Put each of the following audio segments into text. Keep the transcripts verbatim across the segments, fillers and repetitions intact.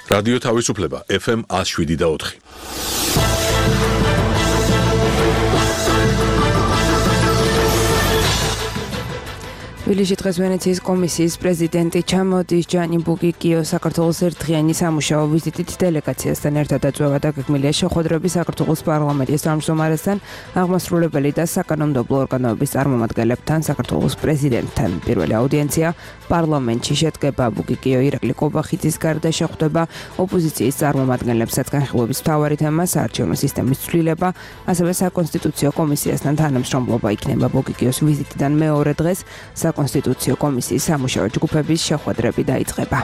რადიო თავისუფლება ეფ ემ one oh seven და four. თბილისში დღეს ვენეციის კომისიის პრეზიდენტი ჩამოდის ჯანი ბუკიკიო საქართველოს ერთდღიანი სამუშაო ვიზიტით დელეგაციასთან ერთად აწვევა დაგეგმილია შეხვედრები საქართველოს პარლამენტის თავმჯდომარესთან, აღმასრულებელი და საკანონმდებლო ორგანოების წარმომადგენლებთან, საქართველოს პრეზიდენტთან. პირველი აუდიენცია პარლამენტში შედგება. ბუკიკიო ირაკლი კობახიძის გარდა შეხვდება ოპოზიციის წარმომადგენლებსაც. განხილვების მთავარი თემა საარჩევნო სისტემის ცვლილება, ასევე საკონსტიტუციო კომისიასთან თანამშრომლობა იქნება. ბუკიკიოს ვიზიტიდან მეორე დღეს საკონსტიტუციო კომისიის სამუშაო ჯგუფების შეხვედრები დაიწყება.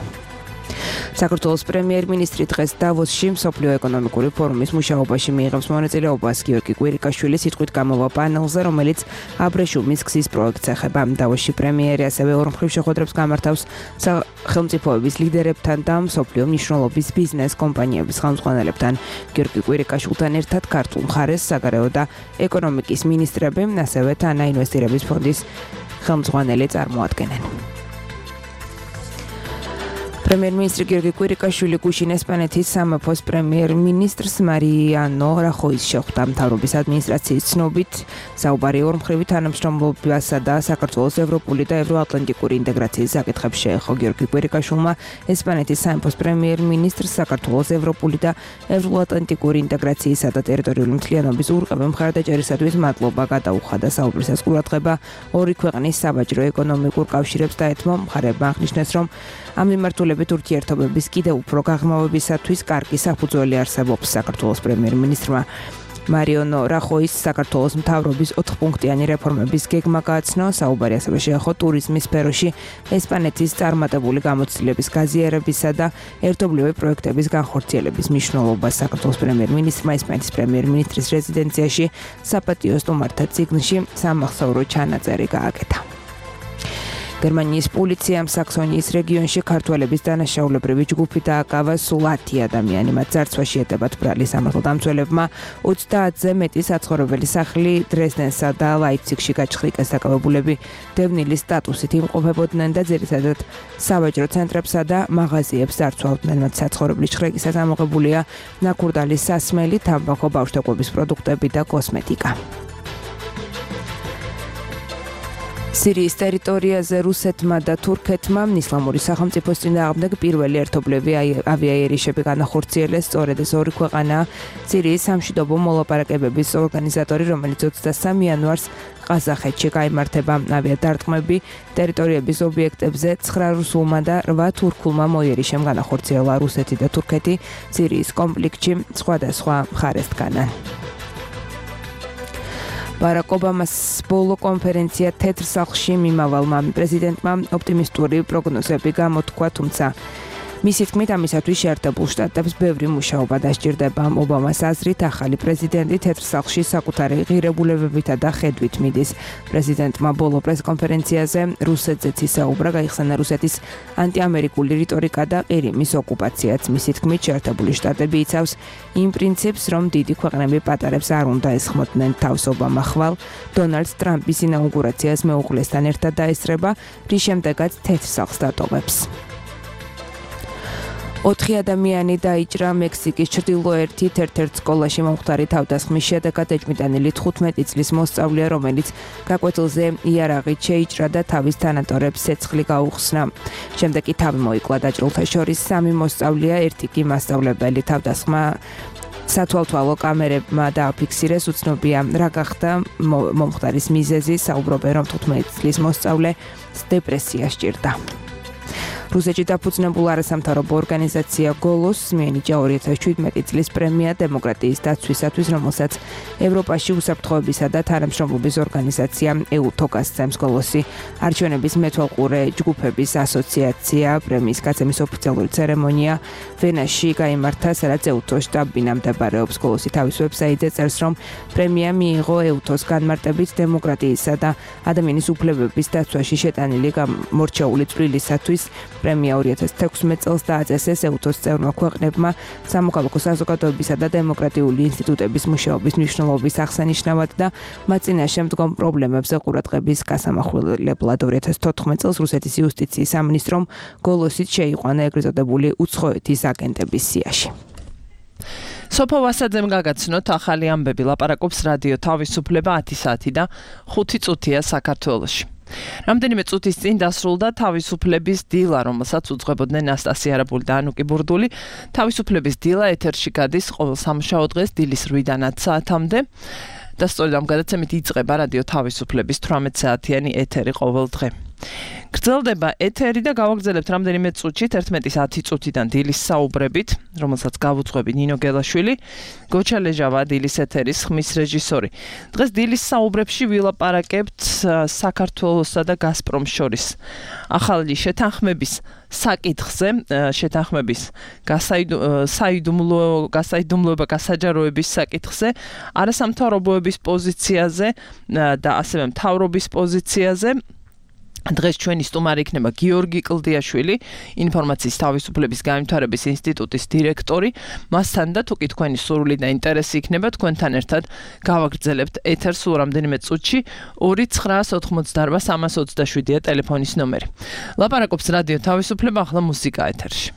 საქართველოს პრემიერ-მინისტრი დღეს დავოსში მსოფლიო ეკონომიკური ფორუმის მუშაობაში მიიღებს მონაწილეობას. გიორგი კვირიკაშვილი სიტყვით გამოვა პანელზე, რომელიც აბრეშუმის გზის პროექტს ეხება. დავოსში პრემიერი ასევე ორმხრივ შეხვედრებს გამართავს სახელმწიფოების ლიდერებთან და მსოფლიო მნიშვნელობის ბიზნეს კომპანიების ხელმძღვანელებთან. გიორგი კვირიკაშვილთან ერთად ქართულ მხარეს საგარეო და ეკონომიკის მინისტრები, ასევე თანაინვესტირების ფონდის ხელმძღვანელი წარმოადგენენ. პრემიერ-მინისტრი გიორგი კვირიკაშვილი გუშინ ესპანეთის სამეფოს პრემიერ-მინისტრს მარიანო რახოის შეხვდა. მთავრობის ადმინისტრაციის ცნობით საუბარი ორმხრივი თანამშრომლობასა და საქართველოს ევროპული და ევროატლანტიკური ინტეგრაციის საკითხებს შეეხო. გიორგი კვირიკაშვილმა ესპანეთის სამეფოს პრემიერ-მინისტრს საქართველოს ევროპული და ევროატლანტიკური ინტეგრაციისა და ტერიტორიული მთლიანობის ურყევი მხარდაჭერისათვის მადლობა გადაუხადა. საუბრისას ყურადღება ორი ქვეყნის საბაჟრო ეკონომიკურ კავშირებს დაეთმო. მხარეებმა აღნიშნეს, რომ ამ მიმართულებით ურთიერთობების კიდევ უფრო გაღრმავებისათვის კარგი საფუძველი არსებობს. საქართველოს პრემიერ-მინისტრმა მარიანო რახოის საქართველოს მთავრობის ოთხპუნქტიანი რეფორმების გეგმა გააცნო. საუბარი ასევე შეეხო ტურიზმის სფეროში ესპანეთის წარმატებული გამოცდილების გაზიარებისა და ერთობლივი პროექტების განხორციელების მნიშვნელობას. საქართველოს პრემიერ-მინისტრმა ესპანეთის პრემიერ-მინისტრის რეზიდენციაში საპატიო სტუმართა წიგნში სამახსოვრო ჩანაწერი გააკეთა. გერმანიის პოლიციამ საქსონიის რეგიონში ქართველების დანაშაულებრივი ჯგუფი დააკავა. სულ ათი ადამიანი, მათ ძარცვაში ეტებათ ბრალი. სამართალდამცველებმა ოცდაათზე მეტი საცხოვრებელი სახლი დრეზდენსა და ლაიფციგში გაჩხრიკეს. დაკავებულები დევნილის სტატუსით იმყოფებოდნენ და ძირითადად სავაჭრო ცენტრებსა და მაღაზიებს ძარცვავდნენ. მათ საცხოვრებლის ჩხრეკისას ამოღებულია ნაქურდალის სასმელი, თამბაქო, ბავშვთაგვების პროდუქტები და კოსმეტიკა. სირიის ტერიტორიაზე რუსეთმა და თურქეთმა ისლამური სახელმწიფოს წინააღმდეგ პირველი ერთობლივი ავიაიერიშები განახორციელეს. სწორედ ეს ორი ქვეყანაა სირიის სამშვიდობო მოლაპარაკებების ორგანიზატორი, რომელიც ოცდასამი იანვარს ყაზახეთში გაიმართება. ავიადარტყმები ტერიტორიების ობიექტებზე ცხრა რუსულმა და რვა თურქულმა მოიერიშემ განახორციელა. რუსეთი და თურქეთი სირიის კონფლიქტში სხვადასხვა მხარეს დგანან. ბარაკ ობამას ბოლო კონფერენცია თეთრ სახლში მიმავალმა პრეზიდენტმა ოპტიმისტური პროგნოზები გამოთქვა, თუმცა მისი თქმით ამისათვის შეერთებულ შტატებს ბევრი მუშაობა დასჭირდება. ობამას აზრით ახალი პრეზიდენტი თეთრ სახლში საკუთარი ღირებულებებითა და ხედვით მიდის. პრეზიდენტმა ბოლო პრესკონფერენციაზე რუსეთზეც ისაუბრა, გაიხსენა რუსეთის ანტიამერიკული რიტორიკა და ყირიმის ოკუპაციაც. მისი თქმით შეერთებული შტატები იცავს იმ პრინციპს, რომ დიდი ქვეყნები პატარებს არ უნდა ესხმოდნენ თავს. ობამა ხვალ დონალდ ტრამპის ინაუგურაციას მეუღლესთან ერთად დაესწრება, რის შემდეგაც თეთრ სახლს დატოვებს. ოთხი ადამიანი დაიჭრა მექსიკის ჩრდილოეთით ერთ-ერთ სკოლაში მომხდარი თავდასხმის შედეგად. ეჭვმიტანილი თხუთმეტი წლის მოსწავლეა, რომელიც გაკვეთილზე იარაღით შეიჭრა და თავის თანატორებს ცეცხლი გაუხსნა. შემდეგ კი თავი მოიკლა დაჭრილთა შორის სამი მოსწავლეა, ერთი კი მასწავლებელი. თავდასხმა სათვალთვალო კამერებმა დააფიქსირეს. უცნობია რა გახდა მომხდარის მიზეზი. საუბრობენ, რომ თხუთმეტი წლის მოსწავლე დეპრესია სჭირდა. რუსეთში დაფუძნებულ არასამთავრობო ორგანიზაცია გოლოს მიენიჭა ორი ათას შვიდმეტი წლის პრემია დემოკრატიის დაცვისათვის, რომელსაც ევროპაში უსაფრთხოებისა და თანამშრომლობის ორგანიზაცია ევ-თო გასცემს. გოლოსი არჩევნების მეთვალყურე ჯგუფების ასოციაცია. პრემიის გაცემის ოფიციალური ცერემონია ვენაში გაიმართა, სადაც ევ-თოს შტაბ-ბინა მდებარეობს. გოლოსი თავის ვებსაიტზე წერს, რომ პრემია მიიღო ევ-თოს განმარტებით დემოკრატიისა და ადამიანის უფლებების დაცვაში შეტანილი გამორჩეული წვლილისათვის. პრემია ორი ათას თექვსმეტ წელს დააწეს ესეუთოს წევრმა ქვეყნებმა სამოქალაქო საზოგადოებისა და დემოკრატიული ინსტიტუტების მუშაობის მნიშვნელობის აღსანიშნავად და მათ წინაშე მდგომ პრობლემებზე ყურადღების გასამახვილებლად ორი ათას თოთხმეტ წელს რუსეთის იუსტიციის სამინისტრომ გოლოსით შეიყვანა ეგრეთ წოდებული უცხოეთის აგენტების სიაში. სოფო ვასაძემ გაგაცნოთ ახალი ამბები ლაპარაკობს რადიო თავისუფლება ათი საათი და ხუთი წუთია საქართველოში. რამდენიმე წუთის წინ დასრულდა თავისუფლების დილა, რომელსაც უძღვებოდნენ ნასტასია არაბული და ანუკი ბურდული. თავისუფლების დილა ეთერში გადის ყოველ სამშაბათ დღეს დილის რვიდან ათ საათამდე. და სწორედ ამ გადაცემით იწყება რადიო თავისუფლების თვრამეტ საათიანი ეთერი ყოველ დღე. გრძელდება ეთერი და გავაგრძელებთ რამდენიმე წუთში თერთმეტის ათი წუთიდან დილის საუბრებით, რომელსაც გავუძღვები ნინო გელაშვილი, გოჩა ლეჟავა დილის ეთერის ხმის რეჟისორი. დღეს დილის საუბრებში ვილაპარაკებთ საქართველოსა და გაზპრომს შორის ახალი შეთანხმების საკითხზე, შეთანხმების გასაიდუმლო გასაიდუმლოება გასაჯაროების საკითხზე, არასამთავრობოების პოზიციაზე და ასევე მთავრობის პოზიციაზე. დღეს ჩვენი სტუმარი იქნება გიორგი კლდიაშვილი, ინფორმაციის თავისუფლების განვითარების ინსტიტუტის დირექტორი. მასთან და თუკი თქვენი სურვილი და ინტერესი იქნება, თქვენთან ერთად გავაგრძელებთ ეთერს სულ რამდენიმე წუთში. ორი ცხრაას ოთხმოცდაარბა სამას ოცდაშვიდია ტელეფონის ნომერი. ლაპარაკობს რადიო თავისუფლება, ახლა მუსიკა ეთერში.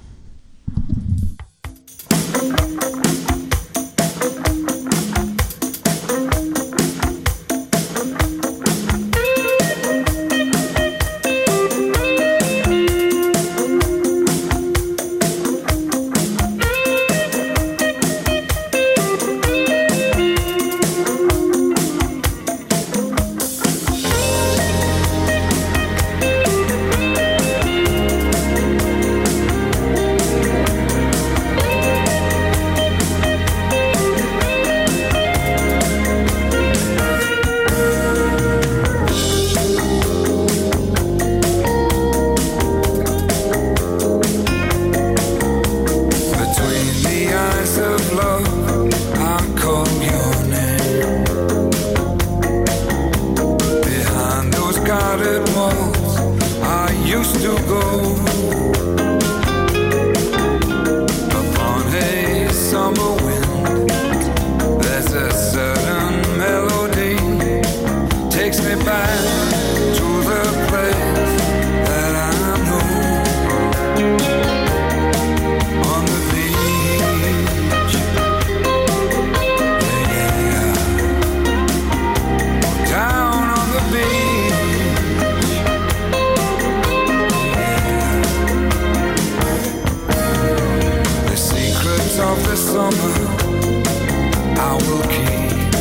I will keep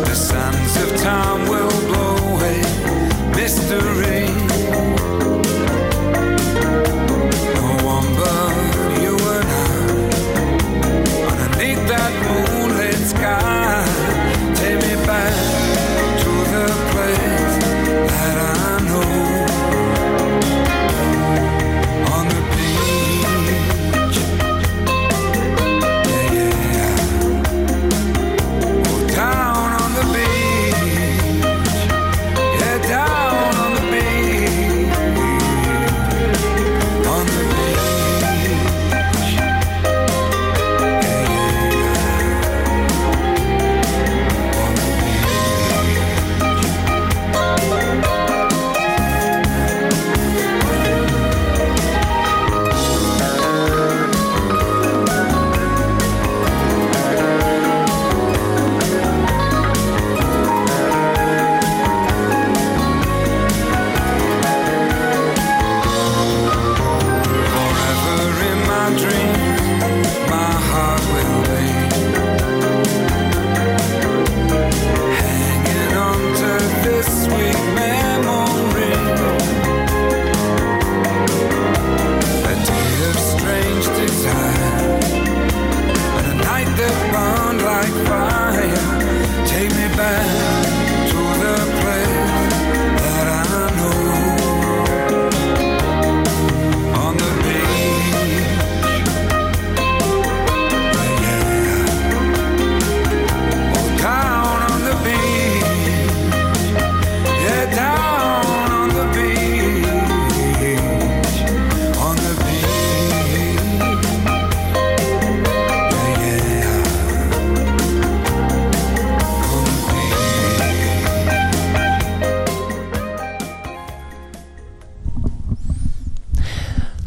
the sands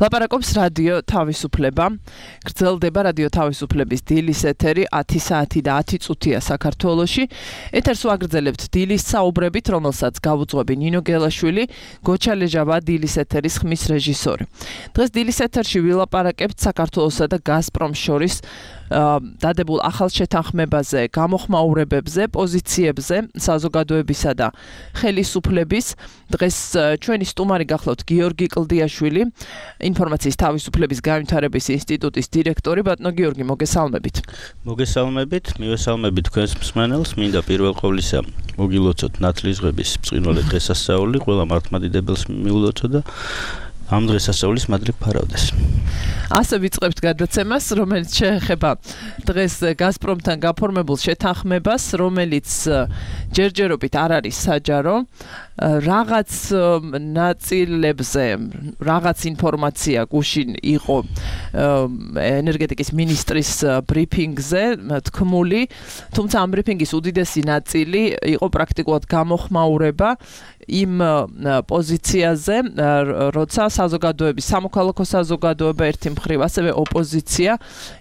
ლაპარაკობს რადიო თავისუფლება. გრძელდება რადიო თავისუფლების დილის ეთერი ათი საათი და ათი წუთია საქართველოში. ეთერს ვაგრძელებთ დილის საუბრებით, რომელსაც გავუძღვები ნინო გელაშვილი, გოჩა ლეჟავა დილის ეთერის ხმის რეჟისორი. დღეს დილის ეთერში ვილაპარაკებთ საქართველოსა და გაზპრომს შორის დადებულ ახალ შეთანხმებაზე, გამოხმაურებებზე, პოზიციებზე, საზოგადოებისა და ხელისუფლების. დღეს ჩვენი სტუმარი გახლავთ გიორგი კლდიაშვილი, ინფორმაციის თავისუფლების განვითარების ინსტიტუტის დირექტორი. ბატონო გიორგი, მოგესალმებით. მოგესალმებით, მივესალმებით თქვენს მსმენელს. მინდა პირველ ყოვლისა მოგილოცოთ ნათლისღების ბრწყინვალე დღესასწაული, ყველა მართლმადიდებელს მიულოცო და ამ დღესასწაულის მადლი ფარავდეს. ასე ვიწყებთ გადაცემას, რომელიც შეეხება დღეს გაზპრომთან გაფორმებულ შეთანხმებას, რომელიც ჯერჯერობით არ არის საჯარო. რაღაც ნაწილებზე რაღაც ინფორმაცია გუშინ იყო ენერგეტიკის მინისტრის ბრიფინგზე თქმული, თუმცა ამ ბრიფინგის უდიდესი ნაწილი იყო პრაქტიკულად გამოხმაურება იმ პოზიციაზე, როცა საზოგადოების, სამოქალაქო საზოგადოება ერთი მხრივ, ასევე ოპოზიცია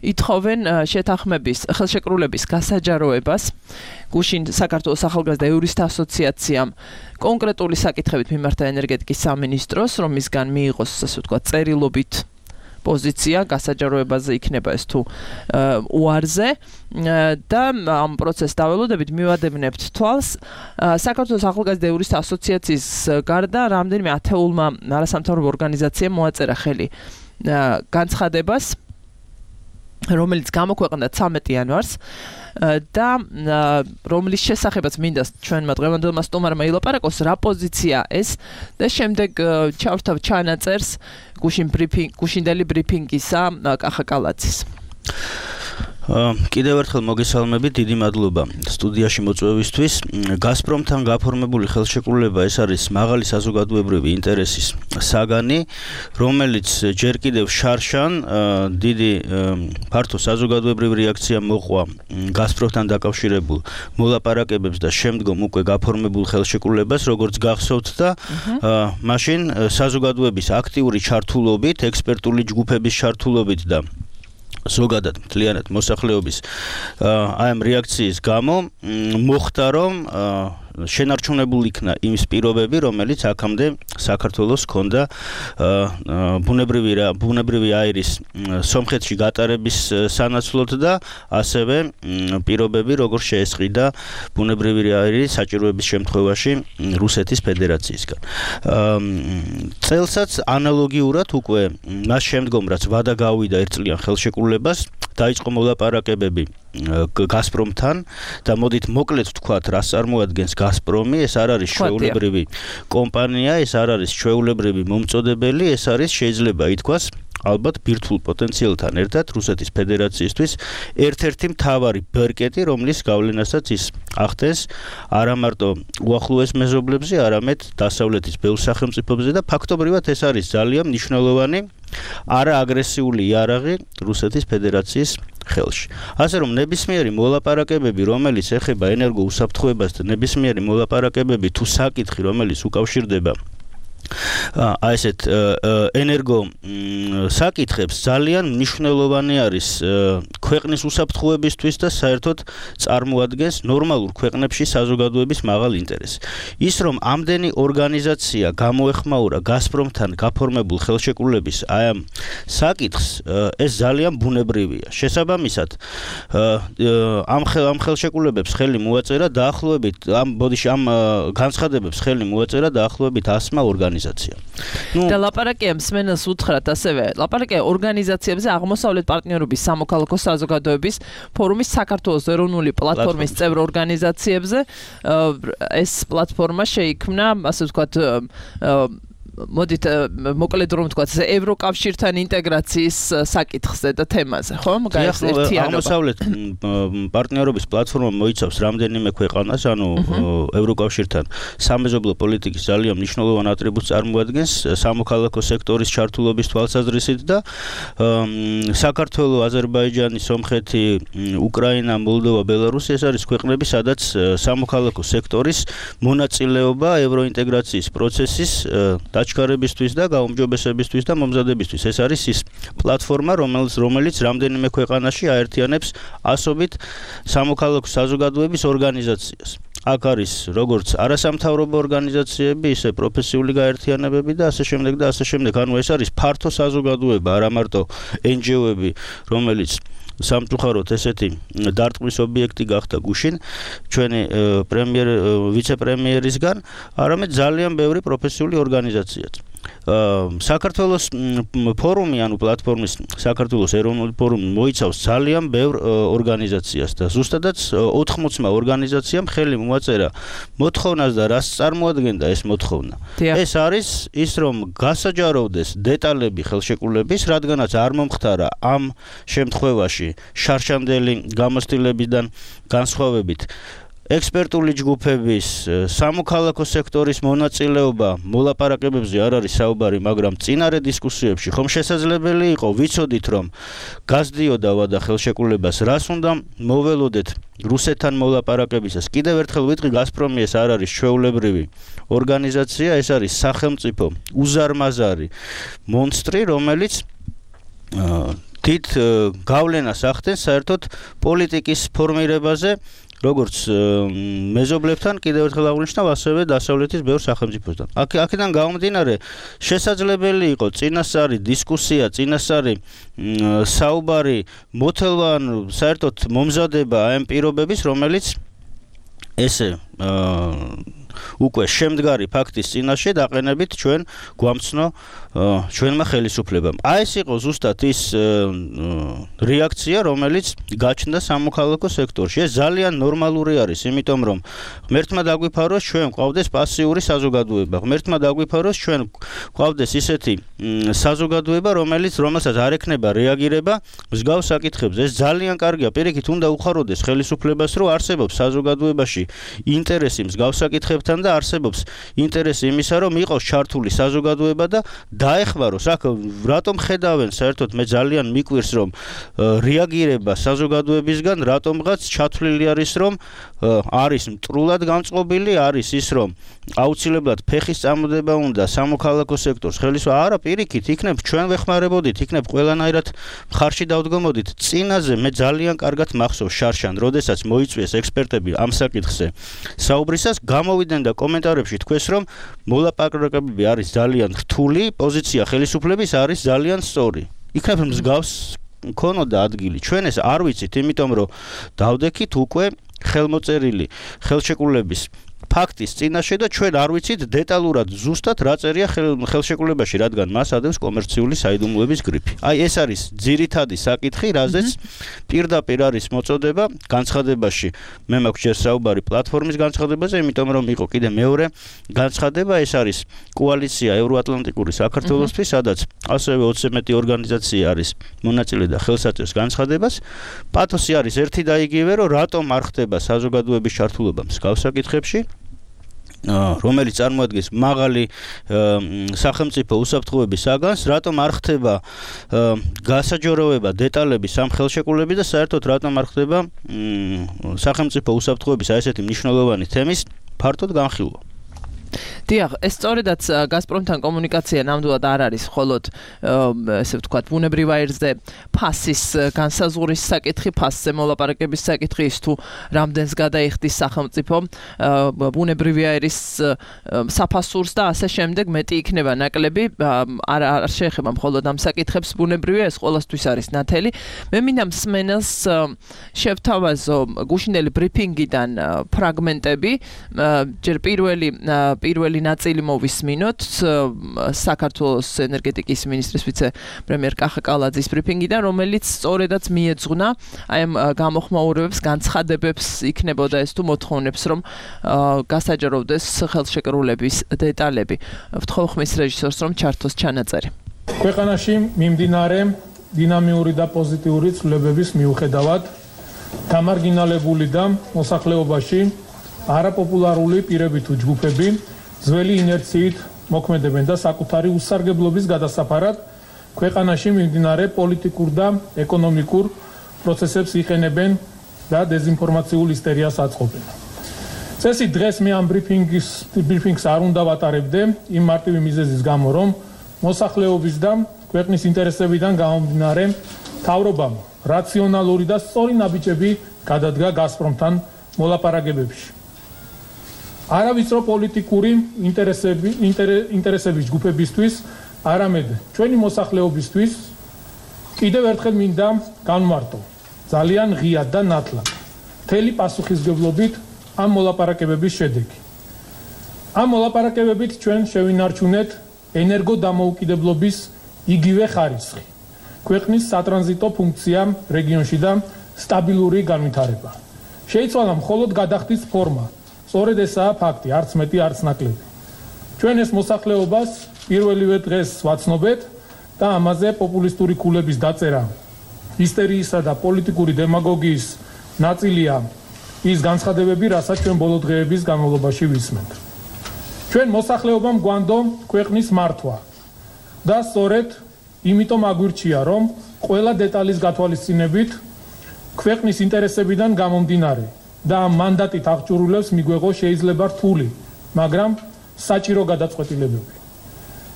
ითხოვენ შეთანხმების ხელშეკრულების გასაჯაროებას. გუშინ საქართველოს ახალგაზრდა იურისტთა ასოციაციამ კონკრეტული საკითხებით მიმართა ენერგეტიკის სამინისტროს, რომ მისგან მიიღოს, ასე ვთქვათ, წერილობით პოზიცია გასაჯაროებაზე იქნება ეს თუ უარზე და ამ პროცესს დაველოდებით მივადევნებთ თვალს. საქართველოს ახალგაზრდა იურისტთა ასოციაციის გარდა რამდენიმე ათეულმა არასამთავრობო ორგანიზაციამ მოაწერა ხელი განცხადებას, რომელიც გამოქვეყნდა ცამეტი იანვარს და რომლის შესახებაც მინდა ჩვენმა დღევანდელმა სტუმარმა ილაპარაკოს, რა პოზიცია ეს და შემდეგ ჩავრთავ ჩანაწერს გუშინ ბრიფინგ გუშინდელი ბრიფინგისა კახა კალაძის. კიდევ ერთხელ მოგესალმებით, დიდი მადლობა სტუდიაში მოწვევისთვის. გაზპრომთან გაფორმებული ხელშეკრულება ეს არის მაღალი საზოგადოებრივი ინტერესის საგანი, რომელიც ჯერ კიდევ შარშან დიდი ფართო საზოგადოებრივი რეაქცია მოყვა გაზპრომთან დაკავშირებულ მოლაპარაკებებს და შემდგომ უკვე გაფორმებულ ხელშეკრულებას, როგორც გახსოვთ და მაშინ საზოგადოების აქტიური ჩართულობით, ექსპერტული ჯგუფების ჩართულობით და ზოგადად მთლიანად მოსახლეობის აი ამ რეაქციის გამო მოხდა, რომ შენარჩუნებულ იქნა იმის პირობები, რომელიც აქამდე საქართველოს ჰქონდა ბუნებრივი ბუნებრივი აირის სომხეთში გატარების სანაცვლოდ და ასევე პირობები, როგორ შეესყიდა ბუნებრივი აირის საჭიროების შემთხვევაში რუსეთის ფედერაციისგან. წელსაც ანალოგიურად უკვე მას შემდგომ, რაც ვადა გავიდა ერთწლიან ხელშეკრულებას, დაიწყო მოლაპარაკებები გაზპრომთან და მოდით მოკლედ ვთქვათ, რას წარმოადგენს გაზპრომი. ეს არ არის ჩვეულებრივი კომპანია, ეს არ არის ჩვეულებრივი მომწოდებელი, ეს არის, შეიძლება ითქვას, ალბათ ბირთვულ პოტენციალთან ერთად რუსეთის ფედერაციისთვის ერთ-ერთი მთავარი ბერკეტი, რომლის გავლენასაც ის ახდენს არა მარტო უახლოეს მეზობლებზე, არამედ დასავლეთის ბევრ სახელმწიფოებზე და ფაქტობრივად ეს არის ძალიან მნიშვნელოვანი არა აგრესიული იარაღი რუსეთის ფედერაციის ხელში. ასე რომ ნებისმიერი მოლაპარაკებები, რომელიც ეხება ენერგოუსაფრთხოებას და ნებისმიერი მოლაპარაკებები თუ საკითხი, რომელიც უკავშირდება აი ესეთ ენერგო საკითხებს, ძალიან მნიშვნელოვანი არის ქვეყნის უსაფრთხოებისთვის და საერთოდ წარმოადგენს ნორმალურ ქვეყნებში საზოგადოების მაღალ ინტერესს. ის რომ ამდენი ორგანიზაცია გამოეხმაურა გაზპრომთან გაფორმებულ ხელშეკრულების აი ამ საკითხს, ეს ძალიან ბუნებრივია. შესაბამისად, ამ ამ ხელშეკრულებებს ხელი მოაწერა დაახლოებით ამ ბოდიში ამ განცხადებებს ხელი მოაწერა დაახლოებით ასმა ორგანიზაციამ. ნუ და ლაპარაკია მსმენელს უთხრათ ასევე, ლაპარაკია ორგანიზაციებზე აღმოსავლეთ პარტნიორობის სამოქალაქო საზოგადოების ფორუმის საქართველოს ეროვნული პლატფორმის წევრ ორგანიზაციებზე. ეს პლატფორმა შეიქმნა, ასე ვთქვათ, მოდით მოკლედ რომ ვთქვათ, ევროკავშირთან ინტეგრაციის საკითხზე და თემაზე, ხო? მაგალითად, აღმოსავლეთ პარტნიორობის პლატფორმა მოიცავს რამდენიმე ქვეყანას, ანუ ევროკავშირთან სამეზობლო პოლიტიკის ძალიან მნიშვნელოვან ატრიბუტს წარმოადგენს სამოქალაქო სექტორის ჩართულობის თვალსაზრისით და საქართველო, აზერბაიჯანი, სომხეთი, უკრაინა, მოლდოვა, ბელარუსი ეს არის ქვეყნები, სადაც სამოქალაქო სექტორის მონაწილეობა ევროინტეგრაციის პროცესის აჩქარებისთვის და გაუმჯობესებისთვის და მომზადებისთვის. ეს არის ის პლატფორმა, რომელიც რომელიც რამდენიმე ქვეყანაში აერთიანებს ასობით სამოქალაქო საზოგადოების ორგანიზაციას. აქ არის როგორც არასამთავრობო ორგანიზაციები, ისე პროფესიული გაერთიანებები და ასე შემდეგ და ასე შემდეგ. ანუ ეს არის ფართო საზოგადოება, არა მარტო ენ ჯი ო-ები, რომელიც სამწუხაროდ ესეთი დარტყმის ობიექტი გახდა გუშინ ჩვენი პრემიერ ვიცე-პრემიერისგან, არამედ ძალიან ბევრი პროფესიული ორგანიზაციაც. საქართველოს ფორუმი, ანუ პლატფორმის საქართველოს ეროვნული ფორუმი მოიცავს ძალიან ბევრ ორგანიზაციას და ზუსტადაც ოთხმოცმა ორგანიზაციამ ხელი მოაწერა მოთხოვნას და რას წარმოადგენდა ეს მოთხოვნა. ეს არის ის, რომ გასაჯაროვდეს დეტალები ხელშეკრულების, რადგანაც არ მომხდარა ამ შემთხვევაში შარშანდელი გამოცდილებიდან განსხვავებით ექსპერტული ჯგუფების, სამოქალაქო სექტორის მონაწილეობა მოლაპარაკებებზე არ არის საუბარი, მაგრამ წინარე დისკუსიებში ხომ შესაძლებელი იყო ვიცოდით, რომ გაზდიოდა ვადა ხელშეკრულებას, რას უნდა მოველოდეთ რუსეთთან მოლაპარაკებისას. კიდევ ერთხელ ვიტყვი, გაზპრომი ეს არ არის ჩვეულებრივი ორგანიზაცია, ეს არის სახელმწიფო უზარმაზარი მონსტრი, რომელიც თით გავლენას ახდენს საერთოდ პოლიტიკის ფორმირებაზე, როგორც მეზობლებთან, კიდევ ერთხელ აღვნიშნავ, ასევე დასავლეთის ბევრ სახელმწიფოსთან. აქ აქედან გამომდინარე, შესაძლებელი იყო წინასწარი დისკუსია, წინასწარი საუბარი, მოთელვა, ანუ საერთოდ მომზადება ამ პირობების, რომელიც ესე უკვე შემდგარი ფაქტის წინაშე დაყენებით ჩვენ გვამცნო ჩვენმა ხელისუფლებამ. აი ეს იყო ზუსტად ის რეაქცია, რომელიც გაჩნდა სამოქალაქო სექტორში. ეს ძალიან ნორმალური არის, იმიტომ რომ ღმერთმა დაგვიფაროს ჩვენ გვყავდეს პასიური საზოგადოება. ღმერთმა დაგვიფაროს ჩვენ გვყავდეს ისეთი საზოგადოება, რომელიც რომელსაც არ ექნება რეაგირება მსგავს საკითხებზე. ეს ძალიან კარგია, პირიქით უნდა უხაროდეს ხელისუფლებას, რომ არსებობს საზოგადოებაში ინტერესი მსგავს საკითხებთან და არსებობს ინტერესი იმისა, რომ იყოს ჩართული საზოგადოება და დაეხმაროს. აქ რატომ ხედავენ, საერთოდ მე ძალიან მიკვირს, რომ რეაგირება საზოგადოებისგან რატომღაც ჩათვლილი არის, რომ არის მტრულად განწყობილი, არის ის, რომ აუცილებლად ფეხის წამოდება უნდა სამოქალაქო სექტორს ხელისუფლება. არა, პირიქით, იქნებ ჩვენ ვეხმარებოდით, იქნებ ყველანაირად მხარში დავდგომოდით. წინაზე მე ძალიან კარგად მახსოვს შარშან, როდესაც მოიწვიეს ექსპერტები ამ საკითხზე საუბრისას, გამოვიდნენ და კომენტარებში თქვეს, რომ მოლაპარაკებები არის ძალიან რთული, პოზიცია ხელისუფლების არის ძალიან სწორი. იქნებ მსგავს მქონოდა ადგილი. ჩვენ ეს არ ვიცით, იმიტომ რომ დავდექით უკვე ხელმოწერილი ხელშეკრულების ფაქტის წინაშე და ჩვენ არ ვიცით დეტალურად ზუსტად რა წერია ხელშეკრულებაში, რადგან მას ადევს კომერციული საიდუმლოების გრიფი. აი ეს არის ძირითადი საკითხი, რაზეც პირდაპირ არის მოწოდება განცხადებაში. მე მაქვს ჯერ საუბარი პლატფორმის განცხადებაზე, იმიტომ რომ იყო კიდე მეორე განცხადება, ეს არის კოალიცია ევროატლანტიკური საქართველოსთვის, სადაც ასევე ოცზე მეტი ორგანიზაცია არის მონაწილე და ხელს აწევს განცხადებას. პათოსი არის ერთი და იგივე, რომ რატომ არ ხდება საზოგადოების ჩართულობა მსგავს საკითხებში, რომელიც წარმოადგენს მაღალი სახელმწიფო უსაფრთხოების საგანს, რატომ არ ხდება გასაჯაროვება დეტალების ამ ხელშეკრულების და საერთოდ რატომ არ ხდება სახელმწიფო უსაფრთხოების აი ესეთი მნიშვნელოვანი თემის ფართოდ განხილვა. დიახ, ეს სწორედაც გაზპრომთან კომუნიკაცია ნამდვილად არ არის მხოლოდ ესე ვთქვათ, ბუნებრივ აირზე ფასის განსაზღვრის საკითხი, ფასზე მოლაპარაკების საკითხი, ის თუ რამდენს გადაიხდის სახელმწიფო ბუნებრივი აირის საფასურს და ასე შემდეგ, მეტი იქნება ნაკლები, არ არ შეეხება მხოლოდ ამ საკითხებს ბუნებრივი, ეს ყოველთვის არის ნათელი. მე მინდა მსმენელს შევთავაზო გუშინდელი ბრიფინგიდან ფრაგმენტები, ჯერ პირველი პირველი ნაწილი მოვისმინოთ საქართველოს ენერგეტიკის მინისტრის ვიცე-პრემიერ კახა კალაძის ბრიფინგიდან, რომელიც სწორედაც მიეძღვნა აი ამ გამოხმაურებებს, განცხადებებს იქნებოდა ეს თუ მოთხოვნებს, რომ გასაჯაროვდეს ხელშეკრულების დეტალები. ვთხოვ ხმის რეჟისორს, რომ ჩართოს ჩანაწერი. ქვეყანაში მიმდინარე დინამიური და პოზიტიური ცვლილებების მიუხედავად, დამარგინალებული და მოსახლეობაში არაპოპულარული პირები თუ ჯგუფები ძველი ინერციით მოქმედებენ და საკუთარი უსარგებლობის გადასაფარად ქვეყანაში მიმდინარე პოლიტიკურ და ეკონომიკურ პროცესებს იყენებენ და დეზინფორმაციულ ისტერიას აწყობენ. წესით დღეს მე ამ ბრიფინგის ბრიფინგს არ უნდა ვატარებდე იმ მარტივი მიზეზის გამო, რომ მოსახლეობის და ქვეყნის ინტერესებიდან გამომდინარე მთავრობამ რაციონალური და სწორი ნაბიჯები გადადგა გაზპრომთან მოლაპარაკებებში. არავითრო პოლიტიკური ინტერესები ინტერესების ჯგუფებისთვის, არამედ ჩვენი მოსახლეობისთვის კიდევ ერთხელ მინდა განმარტო ძალიან ღიად და ნათლად მთელი პასუხისმგებლობით ამ მოლაპარაკებების შედეგი. ამ მოლაპარაკებებით ჩვენ შევინარჩუნეთ ენერგოდამოუკიდებლობის იგივე ხარისხი, ქვეყნის სატრანზიტო ფუნქცია რეგიონში და სტაბილური განვითარება. შეიცვალა მხოლოდ გადახდის ფორმა. სწორედ ესაა ფაქტი, არც მეტი, არც ნაკლები. ჩვენ ეს მოსახლეობას პირველივე დღეს ვაცნობეთ და ამაზე პოპულისტური ქულების დაწერა, ჰისტერიისა და პოლიტიკური დემაგოგიის ნაწილია ის განცხადებები, რასაც ჩვენ ბოლო დღეების განმავლობაში ვისმენთ. ჩვენ მოსახლეობამ გვანდო ქვეყნის მართვა და სწორედ იმიტომ აგვირჩია, რომ ყველა დეტალის გათვალისწინებით ქვეყნის ინტერესებიდან გამომდინარე და ამ მანდატით აღჭურვილებს მიგვეღო შეიძლება რთული, მაგრამ საჭირო გადაწყვეტილებები.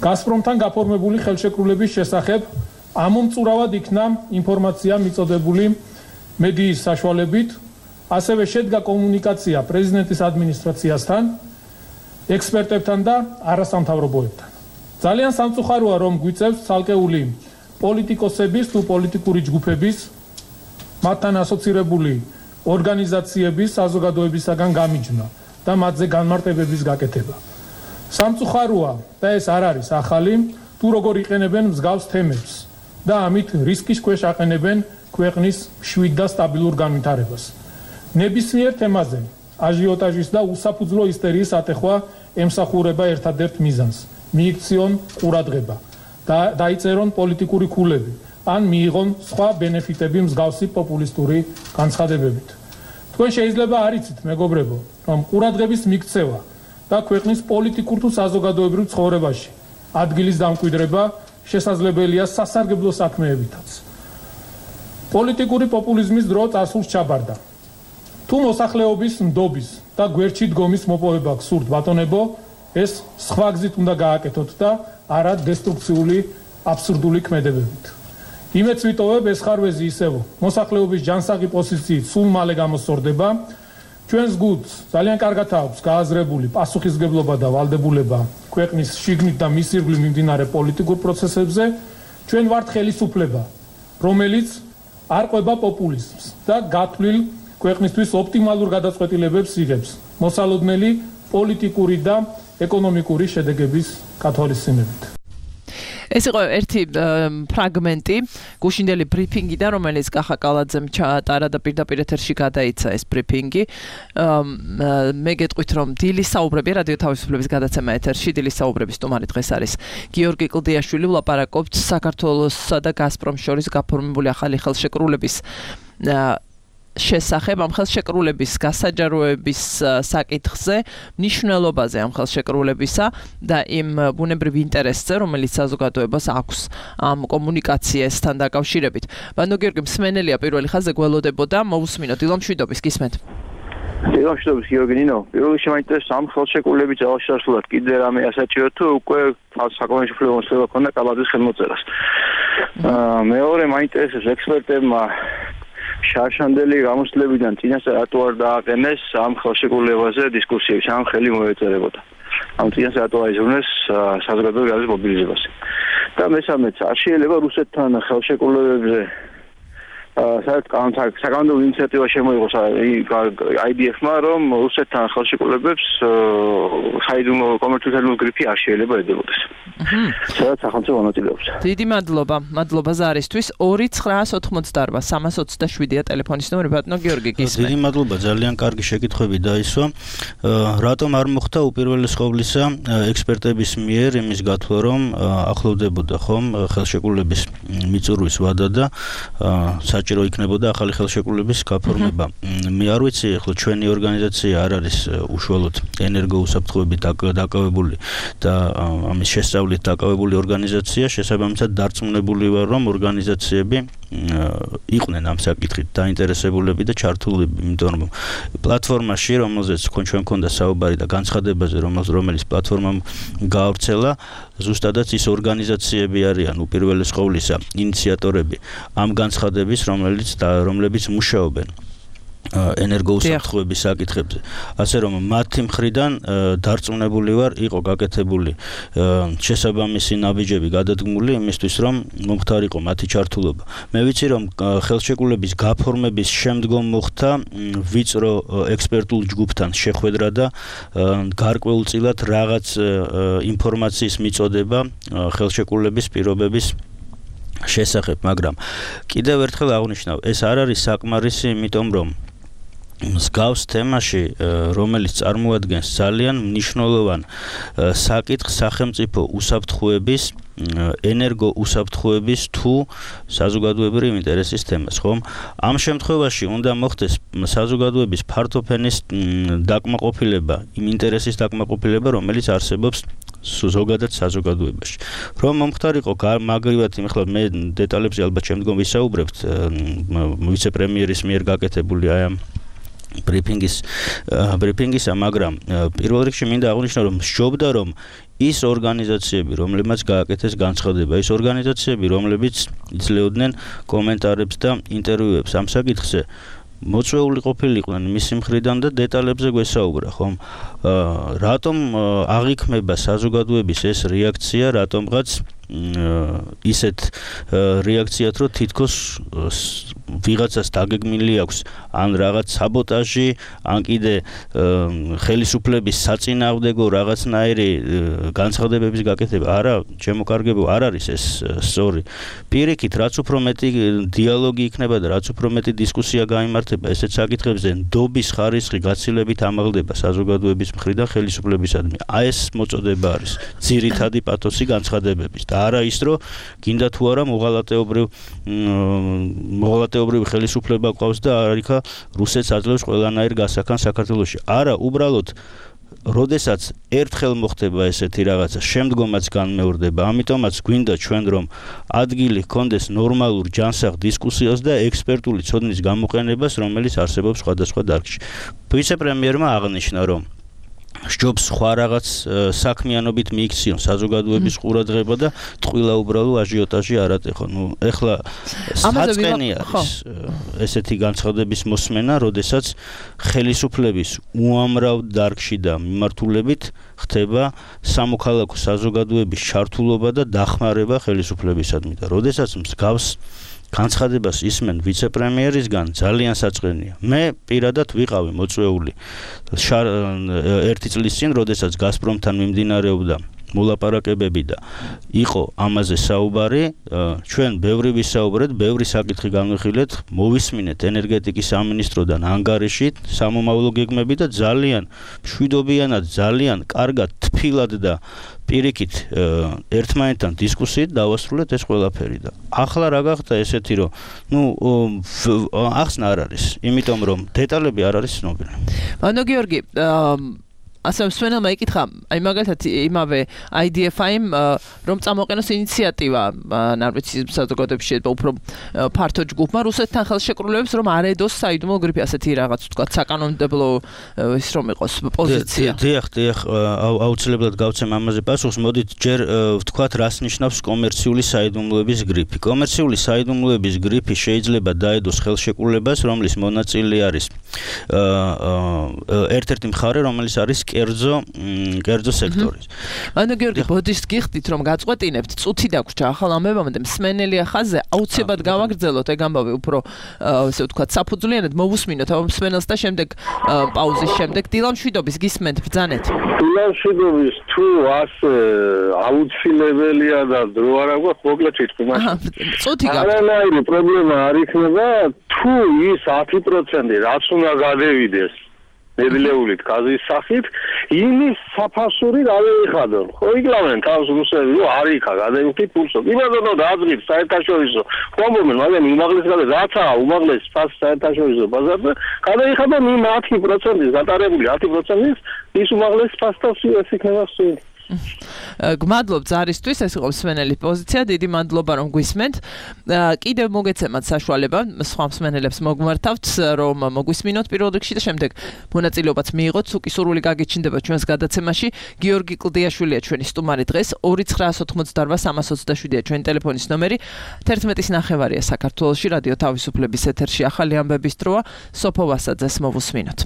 გაზპრომთან გაფორმებული ხელშეკრულების შესახებ ამომწურავად იქნა ინფორმაცია მიწოდებული მედიის საშუალებით, ასევე შედგა კომუნიკაცია პრეზიდენტის ადმინისტრაციასთან, ექსპერტებთან და არასამთავრობოებთან. ძალიან სამწუხაროა, რომ გვიწევს ცალკეული პოლიტიკოსების თუ პოლიტიკური ჯგუფების, მათთან ასოცირებული ორგანიზაციების, საზოგადოებისაგან გამიჯვნა და მათზე განმარტებების გაკეთება. სამწუხაროა და ეს არ არის ახალი, თუ როგორ იყენებენ მსგავს თემებს და ამით რისკის ქვეშ აყენებენ ქვეყნის მშვიდ და სტაბილურ განვითარებას. ნებისმიერ თემაზე აჟიოტაჟის და უსაფუძვლო ისტერიის ატეხვა ემსახურება ერთადერთ მიზანს. მიიქციონ ყურადღება და დაიწერონ პოლიტიკური ქულები, ან მიიღონ სხვა ბენეფიტები მსგავსი პოპულისტური განცხადებებით. თქვენ შეიძლება არ იცით, მეგობრებო, რომ ყურადღების მიქცევა და ქვეყნის პოლიტიკურ თუ საზოგადოებრივ ცხოვრებაში ადგილის დამკვიდრება შესაძლებელია სასარგებლო საქმეებითაც. პოლიტიკური პოპულიზმის დრო წასულს ჩაბარდა. თუ მოსახლეობის ნდობის და გვერდში დგომის მოპოვება გსურთ, ბატონებო, ეს სხვა გზით უნდა გააკეთოთ და არა დესტრუქციული აბსურდული ქმედებებით. იმედს ვიტოვებ, ეს ხარვეზი ისევ მოსახლეობის ჯანსაღი პოზიციით სულ მალე გამოსწორდება. ჩვენს გუნდს ძალიან კარგად აქვს გააზრებული პასუხისმგებლობა და ვალდებულება ქვეყნის შიგნით და მის ირგვლივ მიმდინარე პოლიტიკურ პროცესებზე. ჩვენ ვართ ხელისუფლება, რომელიც არ ყვება პოპულიზმს და გათვლილ ქვეყნისთვის ოპტიმალურ გადაწყვეტილებებს იღებს, მოსალოდნელი პოლიტიკური და ეკონომიკური შედეგების გათვალისწინებით. ეს იყო ერთი ფრაგმენტი გუშინდელი ბრიფინგიდან, რომელიც კახა კალაძემ ჩაატარა და პირდაპირ ეთერში გადაიცა ეს ბრიფინგი. მე გეტყვით, რომ დილის საუბრები რადიო თავისუფლების გადაცემა ეთერში, დილის საუბრების სტუმარი დღეს არის გიორგი კლდიაშვილი. ვლაპარაკობთ საქართველოსსა და გაზპრომს შორის გაფორმებული ახალი ხელშეკრულების შესახებ, ამ ხელშეკრულების გასაჯაროების საკითხზე, მნიშვნელობაზე ამ ხელშეკრულებისა და იმ ბუნებრივ ინტერესზე, რომელიც საზოგადოებას აქვს ამ კომუნიკაციასთან დაკავშირებით. ბანო გიორგი მსმენელია პირველი ხაზზე გველოდებოდა, მოусმინოთ დილო მშვიდობის, გისმენთ. დილო მშვიდობის, გიორგი ნინო. პირველი შემაინტერესა ამ ხელშეკრულების ძალაშასულად კიდე რამე ასაჭირო თუ უკვე საკომისიო მოსწრება ქონდა კალაძის ხელმოწერას. მეორე მაინტერესებს ექსპერტებმა შარშანდელი გამოსვლებიდან წინასწარ რატო არ დააყენეს ამ ხელშეკრულებაზე დისკუსიებს, ამ ხელი მოეწერებოდა. ამ წინასწარ რატო აიზრუნეს საზოგადოების გაზრის მობილიზებაზე. და მესამეც, არ შეიძლება რუსეთთან ხელშეკრულებებზე საერთოდ საკანონმდებლო ინიციატივა შემოიღოს აი დი ეფ-მა, რომ რუსეთთან ხელშეკრულებებს საიდუმლო კომერციული გრიფი არ შეიძლება ედებოდეს. სადაც სახელმწიფო მონაწილეობს. დიდი მადლობა, მადლობა ზარისთვის. ორი ცხრაას ოთხმოცდაარბა სამას ოცდაშვიდია ტელეფონის ნომერი, ბატონო გიორგი გისმენთ. დიდი მადლობა, ძალიან კარგი შეკითხვები დაისვა. რატომ არ მოხდა უპირველეს ყოვლისა ექსპერტების მიერ იმის გათვლა, რომ ახლოვდებოდა ხომ ხელშეკრულების მიწურვის ვადა და საჭირო იქნებოდა ახალი ხელშეკრულების გაფორმება. მე არ ვიცი, ახლა ჩვენი ორგანიზაცია არ არის უშუალოდ ენერგოუსაფრთხოებით დაკავებული და ამის შესწავლით დაკავებული ორგანიზაცია, შესაბამისად დარწმუნებული ვარ, რომ ორგანიზაციები იყვნენ ამ საკითხით დაინტერესებულები და ჩართულები, იმიტომ რომ პლატფორმაში, რომელზეც ჩვენ მქონდა საუბარი და განცხადებაზე, რომელიც პლატფორმამ გაავრცელა, ზუსტადაც ის ორგანიზაციები არიან უპირველეს ყოვლისა ინიციატორები ამ განცხადების, რომელიც რომლებიც მუშაობენ ენერგოუსაფრთხოების საკითხებზე. ასე რომ მათი მხრიდან დარწმუნებული ვარ, იყო გაკეთებული შესაბამისი ნაბიჯები გადადგმული იმისთვის, რომ მომხდარიყო მათი ჩართულობა. მე ვიცი, რომ ხელშეკრულების გაფორმების შემდგომ მოხდა ვიწრო ექსპერტულ ჯგუფთან შეხვედრა და გარკვეულწილად რაღაც ინფორმაციის მიწოდება ხელშეკრულების პირობების შესახებ, მაგრამ კიდევ ერთხელ აღნიშნავ, ეს არ არის საკმარისი, იმიტომ რომ მსგავს თემაში, რომელიც წარმოადგენს ძალიან მნიშვნელოვან საკითხს სახელმწიფო უსაფრთხოების, ენერგო უსაფრთხოების თუ საზოგადოებრივი ინტერესის თემას, ხომ? ამ შემთხვევაში უნდა მოხდეს საზოგადოების ფართოფენის დაკმაყოფილება, იმ ინტერესის დაკმაყოფილება, რომელიც არსებობს ზოგადად საზოგადოებაში. რომ მომხდარიყო მაგრივად, ახლა მე დეტალებზე ალბათ შემდგომ ვისაუბრებთ ვიცე-პრემიერის მიერ გაკეთებული აი ამ ბრიფინგის ბრიფინგისა, მაგრამ პირველ რიგში მინდა აღვნიშნო, რომ მსჯობდა, რომ ის ორგანიზაციები, რომლებმაც გააკეთეს განცხადება, ის ორგანიზაციები, რომლებიც იძლეოდნენ კომენტარებს და ინტერვიუებს ამ საკითხზე, მოწვეული ყოფილიყვნენ მისი მხრიდან და დეტალებზე გვესაუბრა, ხომ? რატომ აღიქმება საზოგადოების ეს რეაქცია, რატომღაც ისეთ რეაქციათ, რომ თითქოს ვიღაცას დაგეგმილი აქვს ან რაღაც საბოტაჟი, ან კიდე ხელისუფლების საწინააღმდეგო რაღაცნაირი განცხადებების გაკეთება. არა, ჩემო კარგებო, არ არის ეს სწორი. პირიქით, რაც უფრო მეტი დიალოგი იქნება და რაც უფრო მეტი დისკუსია გაიმართება ესეთ საკითხებზე, ნდობის ხარისხი გაცილებით ამაღლდება საზოგადოების მხრიდან ხელისუფლებისადმი. აი ეს მოწოდება არის ძირითადი პათოსი განცხადებების. და არა ის, რომ გინდა თუ არა მოღალატეობრივ მოღალატეობრივი ხელისუფლება ყავს და არიქა რუსეთს აძლევს ყველანაირ გასახან საქართველოში. არა, უბრალოდ როდესაც ერთხელ მოხდება ესეთი რაღაცა, შემდგომაც განმეორდება. ამიტომაც გვინდა ჩვენ რომ ადგილი ჰქონდეს ნორმალურ ჯანსაღ დისკუსიას და ექსპერტული ცოდნის გამოყენებას, რომელიც არსებობს სხვადასხვა დარგში. ვიცე-პრემიერმა აღნიშნა, რომ სჯობს სხვა რაღაც საქმიანობით მიიქციონ საზოგადოების ყურადღება და ტყუილა უბრალო აჟიოტაჟი არ ატეხონ. ნუ ეხლა საწყენი არის ესეთი განცხადების მოსმენა, როდესაც ხელისუფლების უამრავ დარგში და მიმართულებით ხდება სამოქალაქო საზოგადოების ჩართულობა და დახმარება ხელისუფლებისადმი და როდესაც მსგავს განცხადებას ისმენ ვიცე-პრემიერისგან, ძალიან საწყენია. მე პირადად ვიყავი მოწვეული ერთი წლის წინ, როდესაც გაზპრომთან მიმდინარეობდა მოლაპარაკებები და იყო ამაზე საუბარი, ჩვენ ბევრი ვისაუბრეთ, ბევრი საკითხი განვიხილეთ, მოვისმინეთ ენერგეტიკის სამინისტროდან ანგარიში სამომავლო გეგმები და ძალიან მშვიდობიანად, ძალიან კარგად, თბილად და პირიქით ერთმანეთთან დისკუსიით დავასრულეთ ეს ყველაფერი და ახლა რა გახდა ესეთი, რომ ნუ ახსნა არ არის, იმიტომ რომ დეტალები არ არის ცნობილი. ანუ გიორგი, ასე მსმენელმა იკითხა, აი მაგალითად იმავე აი დი ეფ აიმ რომ წამოყენოს ინიციატივა, არ ვიცი საზოგადოებაში შეიძლება უფრო ფართო ჯგუფმა რუსეთთან ხელშეკრულებებს რომ არ ედოს საიდუმლო გრიფი, ასეთი რაღაც ვთქვათ საკანონმდებლო ის რომ იყოს პოზიცია. დიახ, დიახ, აუცილებლად გავცემ ამაზე პასუხს. მოდით ჯერ ვთქვათ, რას ნიშნავს კომერციული საიდუმლოების გრიფი. კომერციული საიდუმლოების გრიფი შეიძლება დაედოს ხელშეკრულებას, რომლის მონაწილე არის ერთ-ერთი მხარე, რომელიც არის კერძო კერძო სექტორის. ანუ გიორგი, ბოდიშს გიხდით რომ გაწყვეტინებთ, წუთი დაგვრჩა ახალ ამბებამდე მსმენელია ხაზზე, აუცილებლად გავაგრძელოთ ეგ ამბავი უფრო ესე ვთქვათ საფუძვლიანად მოვუსმინოთ ამ მსმენელს და შემდეგ პაუზის შემდეგ დილამშვიდობის გისმენთ ბრძანეთ. დილამშვიდობის თუ ასე აუცილებელია და დრო არ აქვს, მოკლედ ვიტყვი მაშინ. წუთი გაქვს. არანაირი პრობლემა არ იქნება თუ ის ათი პროცენტი რაც უნდა გადევიდეს ნედლეულით გაზის სახით, იმის საფასური დავეიხადონ. ხო იკლავენ თავს რუსები, რომ არ იქა გადაიხდით ფულსო. იმადონო დააძღით საერთაშორისო. ხომობენ, მაგრამ უმაღლეს გადაი რაცაა უმაღლეს ფასი საერთაშორისო ბაზარზე, გადაიხადონ იმ ათი პროცენტის, გატარებული ათი პროცენტის ის უმაღლეს ფასთან ეს იქნება სულ. გმადლობ ზარისთვის, ეს იყო მსმენელი პოზიცია, დიდი მადლობა რომ გვისმენთ. კიდევ მოგეცემათ საშუალება სხვა მსმენელებს მოგმართავთ რომ მოგვისმინოთ პირველ რიგში და შემდეგ მონაწილეობაც მიიღოთ. უკი სურვილი გაგიჩნდება ჩვენს გადაცემაში. გიორგი კლდიაშვილია ჩვენი სტუმარი დღეს. ორი ცხრაას ოცდაოთხმოცდაარბა სამას ოცდაშვიდია ჩვენი ტელეფონის ნომერი. თერთმეტის ნახევარია საქართველოში რადიო თავისუფლების ეთერში ახალი ამბების დროა. სოფო ვასაძეს მოვუსმინოთ.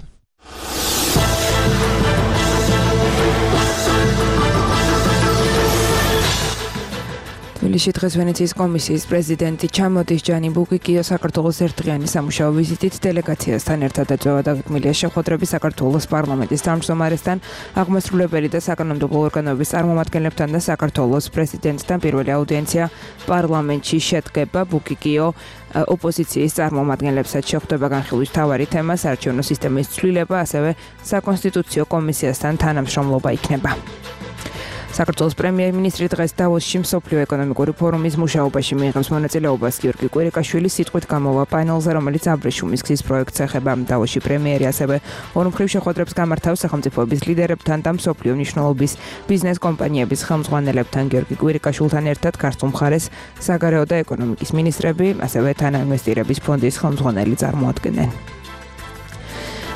თბილისში დღეს ვენეციის კომისიის პრეზიდენტი ჩამოდის ჯანი ბუკიკიო საქართველოს ერთდღიანი სამუშაო ვიზიტით დელეგაციასთან ერთად ეწევა დაგეგმილია შეხვედრები საქართველოს პარლამენტის თავმჯდომარესთან, აღმასრულებელი და საკანონმდებლო ორგანოების წარმომადგენლებთან და საქართველოს პრეზიდენტთან. პირველი აუდიენცია პარლამენტში შედგება. ბუკიკიო ოპოზიციის წარმომადგენლებსაც შეხვდება განხილვის მთავარი თემა საარჩევნო სისტემის ცვლილება, ასევე საკონსტიტუციო კომისიასთან თანამშრომლობა იქნება. საქართველოს პრემიერ-მინისტრი დღეს დავოსში მსოფლიო ეკონომიკური ფორუმის მუშაობაში მიიღებს მონაწილეობას. გიორგი კვირიკაშვილი სიტყვით გამოვა პანელზე, რომელიც აბრეშუმის გზის პროექტს ეხება. დავოსში პრემიერი ასევე ორმხრივ შეხვედრებს გამართავს სახელმწიფოების ლიდერებთან და მსოფლიო მნიშვნელობის ბიზნეს კომპანიების ხელმძღვანელებთან. გიორგი კვირიკაშვილთან ერთად ქართულ მხარეს საგარეო და ეკონომიკის მინისტრები, ასევე თანაინვესტირების ფონდის ხელმძღვანელი წარმოადგენენ.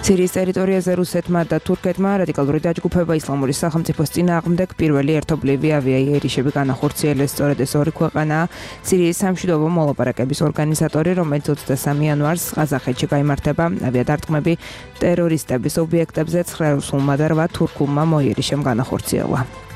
სირიის ტერიტორიაზე რუსეთმა და თურქეთმა რადიკალური დაჯგუფება ისლამური სახელმწიფოს წინააღმდეგ პირველი ერთობლივი ავიაიერიშები განახორციელეს. სწორედ ეს ორი ქვეყანაა სირიის სამშვიდობო მოლაპარაკების ორგანიზატორი, რომელიც ოცდასამი იანვარს ყაზახეთში გაიმართება. ავიადარტყმები ტერორისტების ობიექტებზე ცხრა რუსულმა და რვა თურქულმა მოიერიშემ განახორციელა.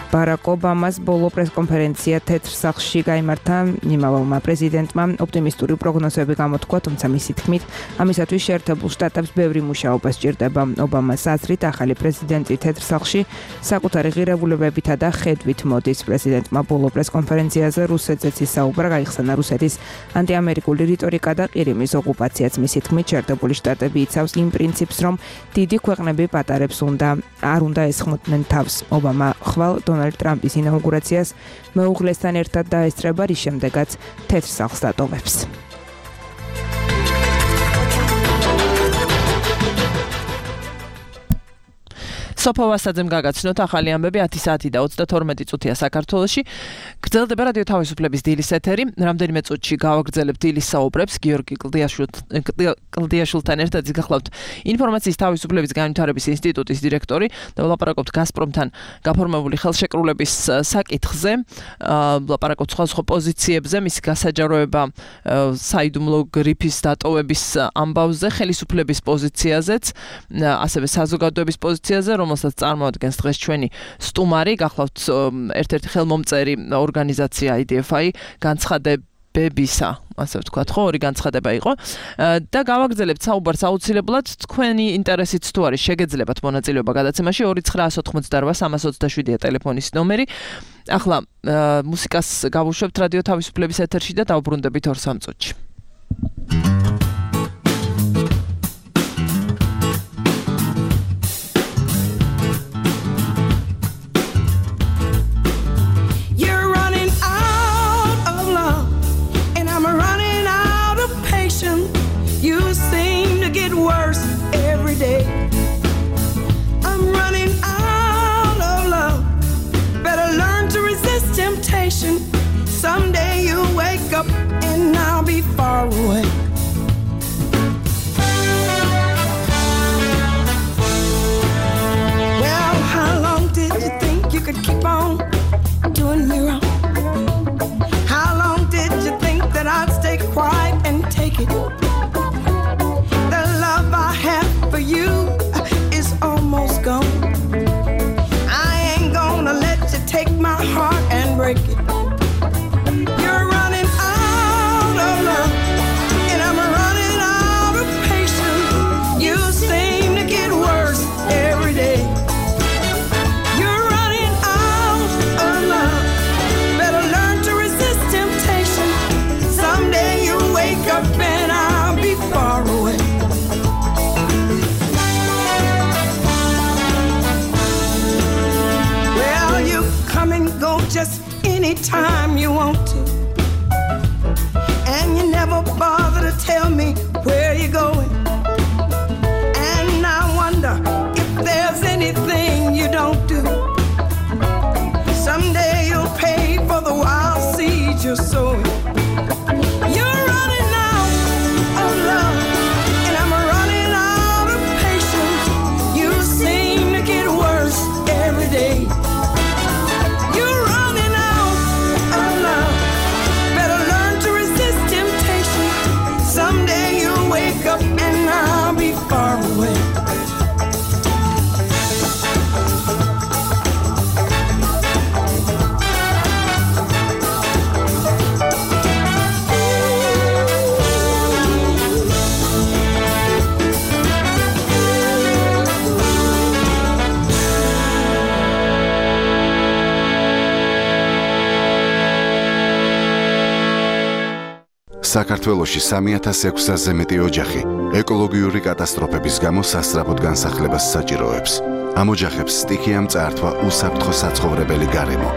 ბარაკ ობამას ბოლო პრესკონფერენცია თეთრ სახლში გაიმართა. იმავე პრეზიდენტმა ოპტიმისტური პროგნოზები გამოთქვა, თუმცა მისი თქმით, ამისათვის შეერთებულ შტატებს ბევრი მუშაობა სჭირდება. ობამას აზრით, ახალი პრეზიდენტი თეთრ სახლში საკუთარი ღირებულებებითა და ხედვით მოდის. პრეზიდენტმა ბოლო პრესკონფერენციაზე რუსეთზეც ისაუბრა, გაიხსენა რუსეთის ანტიამერიკული რიტორიკა და ყირიმის ოკუპაციაც. მისი თქმით, შეერთებული შტატები იცავს იმ პრინციპს, რომ დიდი ქვეყნები პატარებს უნდა არ უნდა ესხმოდნენ თავს. ობამა ხვალ დონალდ ტრამპის ინაუგურაციას მეუღლესთან ერთად დაესწრება, რის შემდეგაც თეთრ სახლს დატოვებს. სოფო ვასაძემ გაგაცნოთ ახალი ამბები ათი საათი და ოცდათორმეტი წუთია საქართველოში. გრძელდება რადიო თავისუფლების დილის ეთერი. რამდენიმე წუთში გავაგრძელებთ დილის საუბრებს გიორგი კლდიაშვილთან ერთად. გახლავთ ინფორმაციის თავისუფლების განვითარების ინსტიტუტის დირექტორი და ვლაპარაკობთ გაზპრომთან გაფორმებული ხელშეკრულების საკითხზე. ვლაპარაკობთ სხვადასხვა პოზიციებზე, მისი გასაჯაროება საიდუმლო გრიფის დატოვების ამბავზე, ხელისუფლების პოზიციაზეც, ასევე საზოგადოების პოზიციაზე, რომელსაც წარმოადგენს დღეს ჩვენი სტუმარი, გახლავთ ერთ-ერთი ხელმომწერი ორგანიზაცია აი დი ეფ აი განცხადებებისა, ასე ვთქვათ, ხო, ორი განცხადება იყო და გავაგრძელებთ საუბარს აუცილებლად. თქვენი ინტერესით თუ არის, შეგეძლებათ მონაწილეობა გადაცემაში. ორი ცხრაას ოცდაოთხმოცდაარბა სამას ოცდაშვიდია ტელეფონის ნომერი. ახლა მუსიკას გავუშვებთ რადიო თავისუფლების ეთერში და დავბრუნდებით ორ სამ წუთში. Worse every day. I'm running out of love. Better learn to resist temptation. Someday you'll wake up and I'll be far away. Well, how long did you think you could keep on doing me wrong? How long did you think that I'd stay quiet and take it? For you is almost gone. I ain't gonna let you take my heart and break it. You're running out of love, and I'm running out of patience. You seem to get worse every day. You're running out of love. Better learn to resist temptation. Someday you'll wake up and I'll be far away. Go just anytime you want to, and you never bother to tell me where you're going. And I wonder if there's anything you don't do. sow it. You're running out of love, and I'm running out of patience. You seem to get worse every day. You're running out of love. Better learn to resist temptation. Someday you'll wake up and I'll be far away. საქართველოში სამი ათას ექვსასზე მეტი ოჯახი ეკოლოგიური კატასტროფების გამო სასწრაფოდ განსახლებას საჭიროებს. ამ ოჯახებს სტიქიამ წაართვა უსაფრთხო საცხოვრებელი გარემო.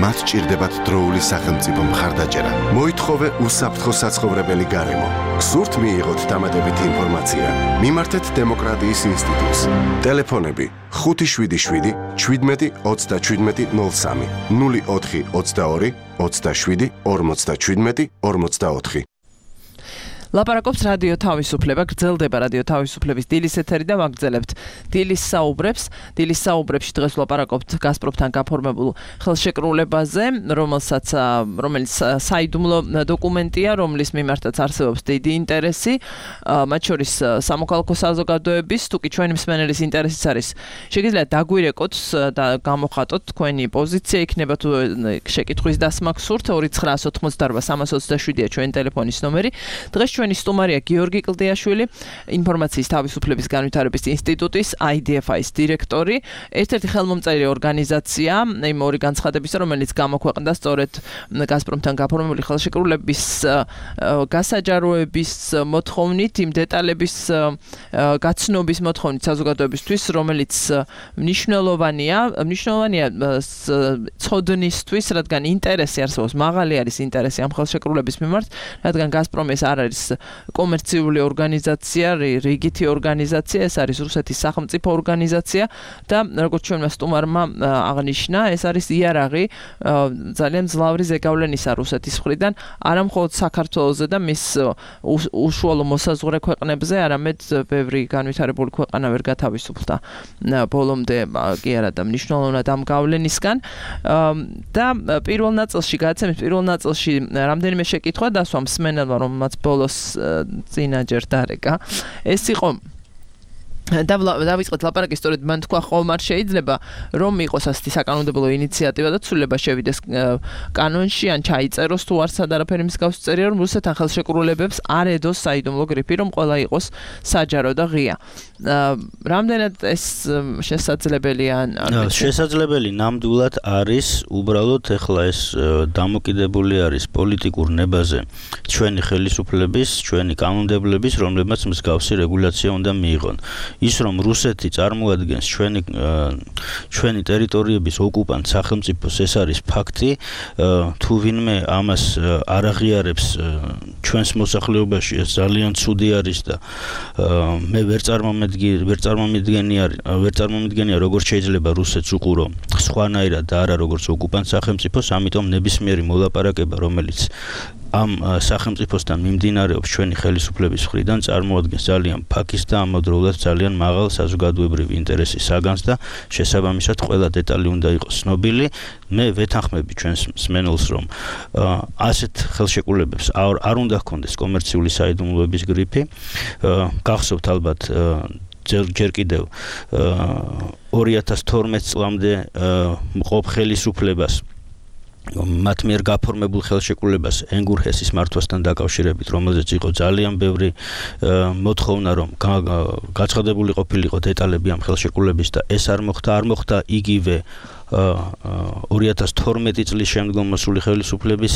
მათ სჭირდებათ დროული სახელმწიფო მხარდაჭერა. მოითხოვე უსაფრთხო საცხოვრებელი გარემო. გსურთ მიიღოთ დამატებითი ინფორმაცია? მიმართეთ დემოკრატიის ინსტიტუტს. ტელეფონები ხუთი შვიდი შვიდი შვიდმეტი ოცდაშვიდმეტი ნოლ სამი ნული ოთხი ოცდაორი ოცდაშვიდი ორმოცდაშვიდმეტი ორმოცდაოთხი. ლაპარაკობს რადიო თავისუფლება, გრძელდება რადიო თავისუფლების დილის ეთერი და ვაგრძელებთ დილის საუბრებს. დილის საუბრებში დღეს ვლაპარაკობთ გაზპრომთან გაფორმებულ ხელშეკრულებაზე, რომელსაც რომელიც საიდუმლო დოკუმენტია, რომლის მიმართაც არსებობს დიდი ინტერესი, მათ შორის სამოქალაქო საზოგადოების, თუკი ჩვენი მსმენელის ინტერესიც არის. შეგიძლიათ დაგვირეკოთ და გამოხატოთ თქვენი პოზიცია, იქნება თუ შეკითხვის დასმა გსურთ, ორი ცხრაას ოთხმოცდაორბა სამას ოცდაშვიდია ჩვენი ტელეფონის ნომერი. დღეს ჩვენი სტუმარია გიორგი კლდიაშვილი, ინფორმაციის თავისუფლების განვითარების ინსტიტუტის I D F I-ის დირექტორი, ერთ-ერთი ხელმომწერი ორგანიზაცია იმ ორი განცხადებისა, რომელიც გამოქვეყნდა სწორედ გაზპრომთან გაფორმებული ხელშეკრულების გასაჯაროების მოთხოვნით, იმ დეტალების გაცნობის მოთხოვნით საზოგადოებისთვის, რომელიც მნიშვნელოვანია, მნიშვნელოვანია ცოდნისთვის, რადგან ინტერესი არსებობს, მაღალი არის ინტერესი ამ ხელშეკრულების მიმართ, რადგან გაზპრომი ეს არ არის კომერციული ორგანიზაცია, რიგითი ორგანიზაცია, ეს არის რუსეთის სახელმწიფო ორგანიზაცია და როგორც ჩვენმა სტუმარმა აღნიშნა, ეს არის იარაღი ძალიან მძლავრი ზეგავლენისა რუსეთის მხრიდან, არა მხოლოდ საქართველოზე და მის უშუალო მოსაზღვრე ქვეყნებზე, არამედ ბევრი განვითარებული ქვეყანა ვერ გათავისუფლდა ბოლომდე კი არა და მნიშვნელოვნად ამ გავლენისგან და პირველ ნაწილში გადაცემის პირველ ნაწილში რამდენიმე შეკითხვა დასვა მსმენელმა, რომელმაც ბოლოს წინაჯერ დარეკა. ეს იყო დავიწყეთ ლაპარაკი სწორედ მან თქვა ხომ არ შეიძლება რომ იყოს ასეთი საკანონმდებლო ინიციატივა და ცვლილება შევიდეს კანონში ან ჩაიწეროს თუ არ სად არაფერი მსგავსი წერია რომ რუსეთთან ხელშეკრულებებს არ ედოს საიდუმლო გრიფი რომ ყველა იყოს საჯარო და ღია. რამდენად ეს შესაძლებელია ან შესაძლებელი ნამდვილად არის უბრალოდ ეხლა ეს დამოკიდებული არის პოლიტიკურ ნებაზე ჩვენი ხელისუფლების, ჩვენი კანონმდებლების, რომლებმაც მსგავსი რეგულაცია უნდა მიიღონ. ის რომ რუსეთი წარმოადგენს ჩვენი ჩვენი ტერიტორიების ოკუპანტ სახელმწიფოს ეს არის ფაქტი თუ ვინმე ამას არ აღიარებს ჩვენს მოსახლეობაში ეს ძალიან ცუდი არის და მე ვერ წარმომედგენია ვერ წარმომედგენია ვერ წარმომედგენია როგორ შეიძლება რუსეთს უყურო სხვანაირად და არა როგორც ოკუპანტ სახელმწიფოს ამიტომ ნებისმიერი მოლაპარაკება რომელიც ამ სახელმწიფოსთან მიმდინარეობს ჩვენი ხელისუფლების მხრიდან წარმოადგენს ძალიან ფაქის და ამავდროულად ძალიან მაღალ საზოგადოებრივ ინტერესის საგანს და შესაბამისად ყველა დეტალი უნდა იყოს ცნობილი. მე ვეთანხმები ჩვენს მსმენელს რომ ასეთ ხელშეკრულებებს არ უნდა ჰქონდეს კომერციული საიდუმლოების გრიფი. გახსოვთ ალბათ ჯერ კიდევ ორი ათას თორმეტ წლამდე მყოფ ხელისუფლებას მათ მიერ გაფორმებულ ხელშეკრულებას ენგურჰესის მართვასთან დაკავშირებით, რომელზეც იყო ძალიან ბევრი მოთხოვნა, რომ გაცხადებული ყოფილიყო დეტალები ამ ხელშეკრულების და ეს არ მოხდა, არ მოხდა იგივე ორი ათას თორმეტი წლის შემდგომ მოსული ხელისუფლების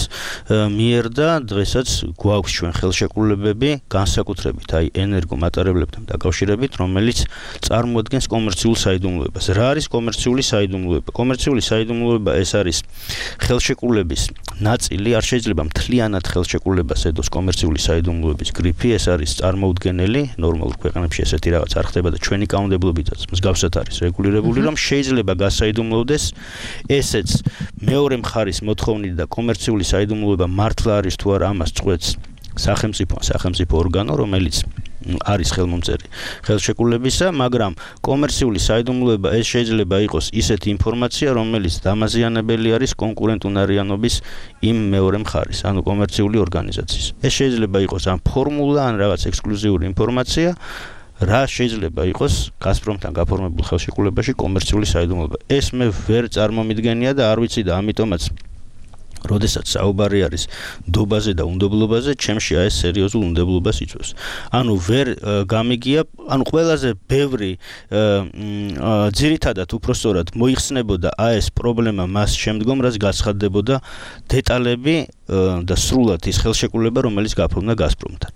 მიერ და დღესაც გვაქვს ჩვენ ხელშეკრულებები განსაკუთრებით აი ენერგომატარებლებთან დაკავშირებით, რომელიც წარმოადგენს კომერციულ საიდუმლოებას. რა არის კომერციული საიდუმლოება? კომერციული საიდუმლოება ეს არის ხელშეკრულების ნაწილი, არ შეიძლება მთლიანად ხელშეკრულებას ედოს კომერციული საიდუმლოების გრიფი, ეს არის წარმოუდგენელი, ნორმალურ ქვეყნებში ესეთი რაღაც არ ხდება და ჩვენი კანონმდებლობითაც მსგავსად არის რეგულირებული, რომ შეიძლება გასაიდუმლოვდეს მოხდეს. ესეც მეორე მხარის მოთხოვნით და კომერციული საიდუმლოება მართლა არის თუ არა ამას წყვეტს სახელმწიფო სახელმწიფო ორგანო, რომელიც არის ხელმომწერი ხელშეკრულებისა, მაგრამ კომერციული საიდუმლოება ეს შეიძლება იყოს ისეთი ინფორმაცია, რომელიც დამაზიანებელი არის კონკურენტუნარიანობის იმ მეორე მხარის, ანუ კომერციული ორგანიზაციის. ეს შეიძლება იყოს ან ფორმულა, ან რაღაც ექსკლუზიური ინფორმაცია, რა შეიძლება იყოს გაზპრომთან გაფორმებულ ხელშეკრულებაში კომერციული საიდუმლოება. ეს მე ვერ წარმომიდგენია და არ ვიცი და ამიტომაც როდესაც საუბარი არის დობაზე და უნდობლობაზე, ჩემში აი ეს სერიოზულ უნდობლობას იწვევს. ანუ ვერ გამიგია, ანუ ყველაზე ბევრი ძირითადად უпростоრად მოიხსნებოდა აი ეს პრობლემა მას შემდგომ, რაც გაცხადდებოდა დეტალები და სრულად ის ხელშეკრულება, რომელიც გაფორმდა გაზპრომთან.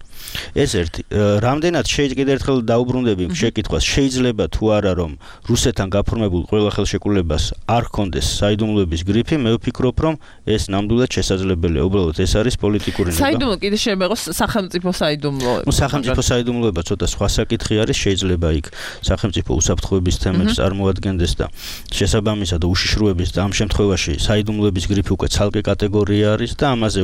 ეს ერთი, რამდენად შეიძლება ერთხელ დაუბრუნდები შეკითხვას, შეიძლება თუ არა რომ რუსეთთან გაფორმებულ ყველა ხელშეკრულებას არ ჰქონდეს საიდუმლოების გრიფი, მე ვფიქრობ რომ ეს ნამდვილად შესაძლებელია. უბრალოდ ეს არის პოლიტიკური ნება. საიდუმლო კიდე შეიძლება იყოს სახელმწიფო საიდუმლო. ნუ სახელმწიფო საიდუმლოება ცოტა სხვა საკითხი არის, შეიძლება იქ სახელმწიფო უსაფრთხოების თემებს წარმოადგენდეს და შესაბამისად უშიშროების და ამ შემთხვევაში საიდუმლოების გრიფი უკვე ცალკე კატეგორია არის და ამაზე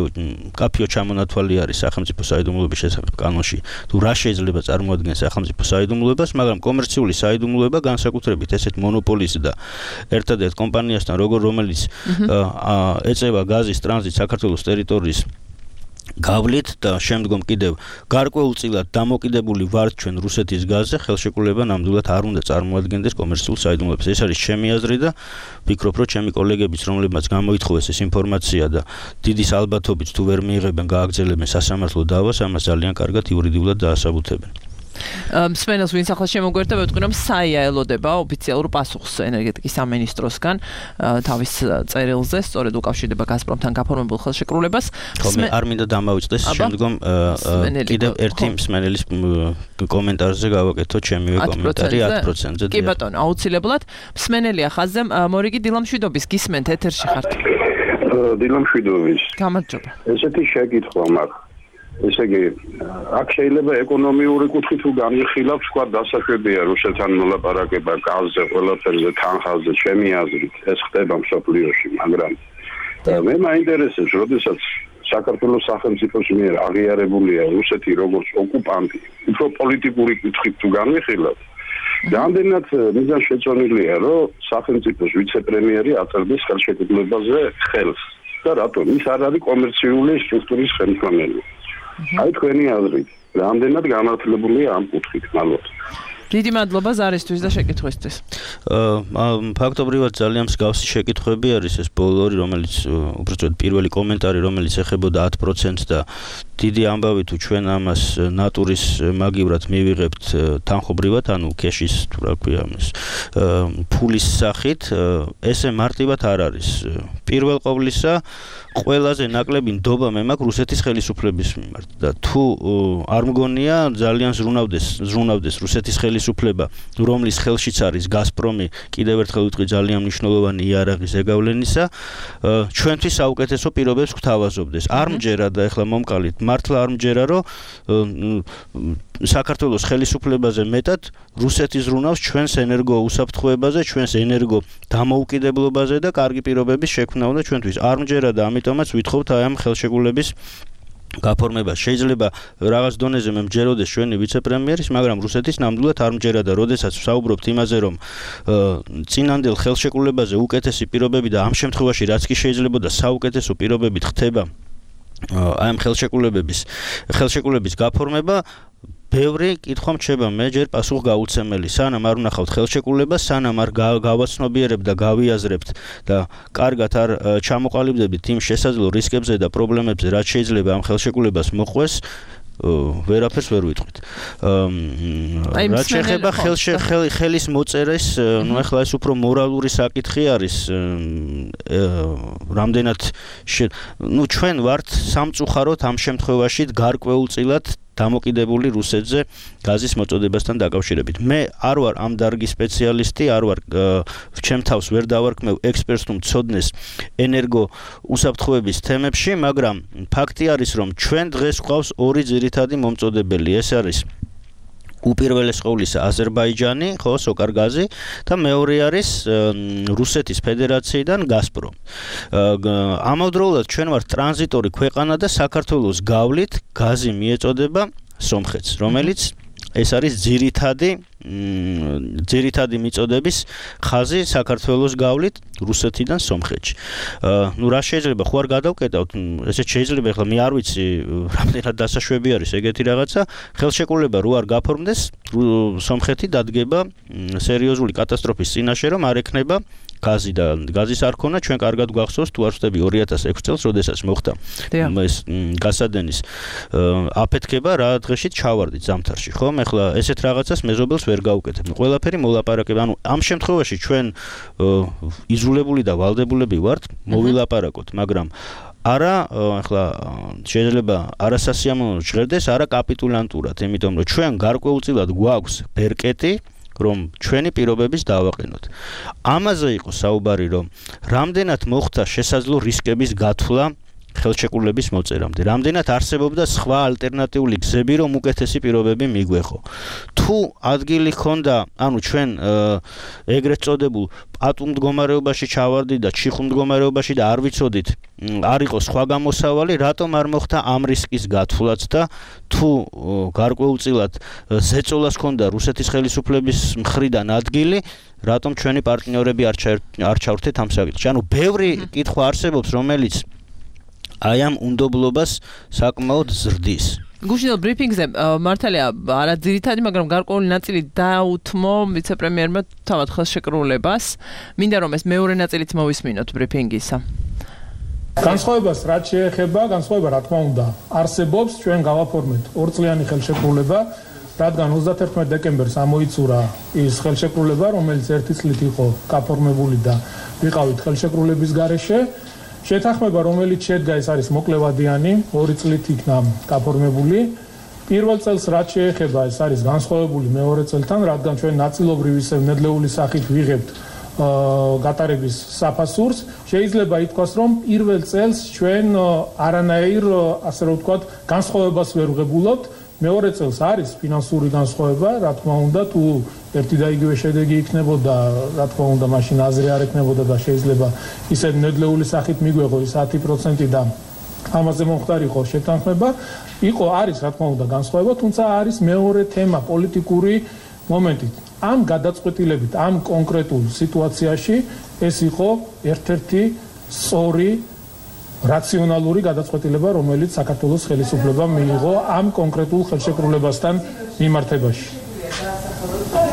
კაფიო ჩამონათვალი არის სახელმწიფო საიდუმლოების შესახებ კანონში. თუ რა შეიძლება წარმოადგენს სახელმწიფო საიდუმლოებას, მაგრამ კომერციული საიდუმლოება განსაკუთრებით ესეთ მონოპოლის და ერთადერთ კომპანიასთან, როგორ რომელიც ეწევა გაზის ტრანზიტს საქართველოს ტერიტორიის გავლით და შემდგომ კიდევ გარკვეულწილად დამოკიდებული ვართ ჩვენ რუსეთის გაზზე, ხელშეკრულება ნამდვილად არ უნდა წარმოადგენდეს კომერციულ საიდუმლოებას. ეს არის ჩემი აზრი და ვფიქრობ, რომ ჩემი კოლეგებიც, რომლებმაც გამოითხოვეს ეს ინფორმაცია და დიდის ალბათობით თუ ვერ მიიღებენ, გააგრძელებენ სასამართლო დავას, ამას ძალიან კარგად იურიდიულად დაასაბუთებენ. მსმენელს ვინც ახლა შემოგვერთა, ვეთქვი რომ საია ელოდება ოფიციალურ პასუხს ენერგეტიკის სამინისტროსგან თავის წერილზე, სწორედ უკავშირდება გაზპრომთან გაფორმებულ ხელშეკრულებას. მე არ მინდა დამავიწყდეს, შემდგომ კიდევ ერთი მსმენელის კომენტარზე გავაკეთო ჩემივე კომენტარი ათი პროცენტზე. კი ბატონო, აუცილებლად. მსმენელია ხაზზე, მორიგი დილამშვიდობის, გისმენთ, ეთერში ხართ. დილამშვიდობის. გამარჯობა. ესეთი შეკითხვა მაქვს. ესე იგი, აქ შეიძლება ეკონომიური კუთხით თუ განვიხილავთ, თქვა დასაშვებია რუსეთთან მოლაპარაკება გაზზე, ყველაფერზე, თანხაზე, ჩემი აზრით, ეს ხდება მსოფლიოში, მაგრამ მე მაინტერესებს, როდესაც საქართველოს სახელმწიფოს მიერ აღიარებულია რუსეთი როგორც ოკუპანტი, უფრო პოლიტიკური კუთხით თუ განვიხილავთ, რამდენად მიზანშეწონილია, რომ სახელმწიფოს ვიცე-პრემიერი აწერდეს ხელშეკრულებაზე ხელს და რატომ? ის არ არის კომერციული სტრუქტურის ხელმძღვანელი. აი თქვენი აზრით, რამდენად გამართლებულია ამ კუთხით, მალოთ. დიდი მადლობა ზარისთვის და შეკითხვისთვის. აა ფაქტობრივად ძალიან მსგავსი შეკითხვები არის ეს ბოლორი, რომელიც უბრალოდ პირველი კომენტარი, რომელიც ეხებოდა ათ პროცენტს და დიდი ამბავი თუ ჩვენ ამას ნატურის მაგივრად მივიღებთ თანხობრივად, ანუ კეშის თუ რა ქვია ამას, ფულის სახით, ესე მარტივად არ არის. პირველ ყოვლისა ყველაზე ნაკლები ნდობა მე მაქვს რუსეთის ხელისუფლების მიმართ და თუ არ მგონია ძალიან ზრუნავდეს ზრუნავდეს რუსეთის ხელისუფლება, რომლის ხელშიც არის გაზპრომი, კიდევ ერთხელ ვიტყვი ძალიან მნიშვნელოვანი იარაღი ზეგავლენისა, ჩვენთვის საუკეთესო პირობებს გვთავაზობდეს. არ მჯერა და ეხლა მომყალით, მართლა არ მჯერა, რომ საქართველოს ხელისუფლებაზე მეტად რუსეთი ზრუნავს ჩვენს ენერგო უსაფრთხოებაზე, ჩვენს ენერგო დამოუკიდებლობაზე და კარგი პირობების შექმნა უნდა ჩვენთვის. არ მჯერა და ამიტომაც ვითხოვთ აი ამ ხელშეკრულების გაფორმება. შეიძლება რაღაც დონეზე მე მჯეროდეს ჩვენი ვიცე-პრემიერის, მაგრამ რუსეთის ნამდვილად არ მჯერა და როდესაც ვსაუბრობთ იმაზე, რომ წინანდელ ხელშეკრულებაზე უკეთესი პირობები და ამ შემთხვევაში რაც კი შეიძლება და საუკეთესო პირობებით ხდება აი ამ ხელშეკრულებების ხელშეკრულების გაფორმება, ბევრი კითხვა მრჩება მე ჯერ პასუხ გაუცემელი. სანამ არ ვნახავთ ხელშეკრულებას, სანამ არ გავაცნობიერებთ და გავიაზრებთ და კარგად არ ჩამოყალიბდებით იმ შესაძლო რისკებზე და პრობლემებზე, რაც შეიძლება ამ ხელშეკრულებას მოყვეს, ვერაფერს ვერ ვიტყვით. რაც შეეხება ხელის მოწერეს, ნუ ახლა ეს უფრო მორალური საკითხი არის, რამდენად ნუ ჩვენ ვართ სამწუხაროდ ამ შემთხვევაში გარკვეულწილად დამოკიდებული რუსეთზე გაზის მოწოდებასთან დაკავშირებით. მე არ ვარ ამ დარგის სპეციალისტი, არ ვარ ჩემ თავს ვერ დავარქმევ ექსპერტს თუ მცოდნეს ენერგო უსაფრთხოების თემებში, მაგრამ ფაქტი არის, რომ ჩვენ დღეს გვყავს ორი ძირითადი მომწოდებელი. ეს არის უპირველეს ყოვლისა აზერბაიჯანი, ხო, სოკარგაზი და მეორე არის რუსეთის ფედერაციიდან გაზპრომ. ამავდროულად ჩვენ ვართ ტრანზიტორი ქვეყანა და საქართველოს გავლით გაზი მიეწოდება სომხეთს, რომელიც ეს არის ძირითადი ძირითადი მიწოდების ხაზი საქართველოს გავლით რუსეთიდან სომხეთში. ნუ რა შეიძლება ხო არ გადავკეტავთ, ესე შეიძლება ახლა მე არ ვიცი რამდენად დასაშვები არის ეგეთი რაღაცა, ხელშეკრულება რო არ გაფორმდეს, სომხეთი დადგება სერიოზული კატასტროფის წინაშე, რომ არ ექნება გაზი და გაზის არ ქონა, ჩვენ კარგად გვახსოვს თუ არ ვწდები ორი ათას ექვსი წელს, როდესაც მოხდა ეს გასადენის აფეთქება, რა დღეში ჩავარდით ზამთარში, ხო? ეხლა ესეთ რაღაცას მეზობელს ვერ გავუკეთებ. ყველაფერი მოლაპარაკება. ანუ ამ შემთხვევაში ჩვენ იზოლებული და ვალდებულები ვართ მოვილაპარაკოთ, მაგრამ არა, ეხლა შეიძლება არასასიამოვნო ჟღერდეს, არა კაპიტულანტურად, იმიტომ რომ ჩვენ გარკვეულწილად გვაქვს ბერკეტი, რომ ჩვენი პირობების დავაყენოთ. ამაზე იყო საუბარი, რომ რამდენად მოხდა შესაძლო რისკების გათვლა ხელშეკრულების მოწერამდე. რამდენად არსებობდა სხვა ალტერნატიული გზები, რომ უკეთესი პირობები მიგვეღო. თუ ადგილი ჰქონდა, ანუ ჩვენ ეგრეთ წოდებულ პატუმ მდგომარეობაში ჩავარდით და ჩიხუ მდგომარეობაში და არ ვიცოდით, არ იყო სხვა გამოსავალი, რატომ არ მოხდა ამ რისკის გათვლაც და თუ გარკვეულწილად ზეწოლას ჰქონდა რუსეთის ხელისუფლების მხრიდან ადგილი, რატომ ჩვენი პარტნიორები არ ჩავრთეთ ამ საკითხში. ანუ ბევრი კითხვა არსებობს, რომელიც აი ამ უნდობლობას საკმაოდ ზრდის. გუშინდელ ბრიფინგზე მართალია არა ძირითადი, მაგრამ გარკვეული ნაწილი დაუთმო ვიცე-პრემიერმა თავად ხელშეკრულებას. მინდა რომ ეს მეორე ნაწილიც მოვისმინოთ ბრიფინგისა. განსხვავებას რაც შეეხება, განსხვავება რა თქმა უნდა არსებობს, ჩვენ გავაფორმეთ ორწლიანი ხელშეკრულება, რადგან ოცდაათერთმეტ დეკემბერს ამოიწურა ის ხელშეკრულება, რომელიც ერთი წლით იყო გაფორმებული და ვიყავით ხელშეკრულების გარეშე. შეთანხმება, რომელიც შედგა, ეს არის მოკლევადიანი, ორი წლით იქნა გაფორმებული. პირველ წელს რაც შეეხება, ეს არის განსხვავებული მეორე წელთან, რადგან ჩვენ ნაწილობრივ ისევ ნედლეული სახით ვიღებთ გატარების საფასურს. შეიძლება ითქვას, რომ პირველ წელს ჩვენ არანაირ, ასე რომ ვთქვათ, განსხვავებას ვერ ვღებულობთ. მეორე წელს არის ფინანსური განსხვავება, რა თქმა უნდა, თუ ერთი და იგივე შედეგი იქნებოდა, რა თქმა უნდა, მაშინ აზრი არ ექნებოდა და შეიძლება ისე ნედლეული სახით მიგვეღო ის ათი პროცენტი და ამაზე მომხდარიყო შეთანხმება. იყო არის, რა თქმა უნდა, განსხვავება, თუმცა არის მეორე თემა, პოლიტიკური მომენტი. ამ გადაწყვეტილებით, ამ კონკრეტულ სიტუაციაში ეს იყო ერთ-ერთი სწორი რაციონალური გადაწყვეტილება, რომელიც საქართველოს ხელისუფლებამ მიიღო ამ კონკრეტულ ხელშეკრულებასთან მიმართებაში.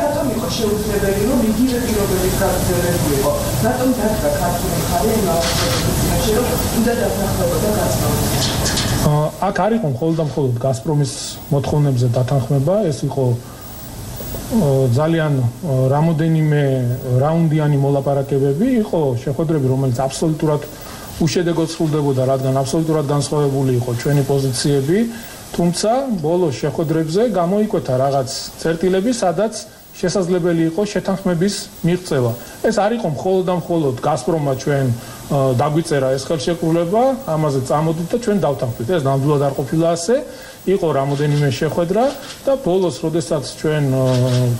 რატომ იყო შეუძლებელი, რომ იგივე პირობების გაგრძელებულიყო? რატომ დადგა ქართული მხარე იმ აღსანიშნავში, რომ უნდა დათანხმებოდა გაზპრომი? აქ არ იყო მხოლოდ და მხოლოდ გაზპრომის მოთხოვნებზე დათანხმება, ეს იყო ძალიან რამოდენიმე რაუნდიანი მოლაპარაკებები, იყო შეხვედრები, რომელიც აბსოლუტურად უშედეგოდ სრულდებოდა, რადგან აბსოლუტურად განსხვავებული იყო ჩვენი პოზიციები, თუმცა ბოლოს შეხვედრებზე გამოიკვეთა რაღაც წერტილები, სადაც შესაძლებელი იყო შეთანხმების მიღწევა. ეს არ იყო მხოლოდ და მხოლოდ გაზპრომმა ჩვენ დაგვიწერა ეს ხელშეკრულება, ამაზე წამოდით და ჩვენ დავთანხმდით. ეს ნამდვილად არ ყოფილა ასე, იყო რამოდენიმე შეხვედრა და ბოლოს, როდესაც ჩვენ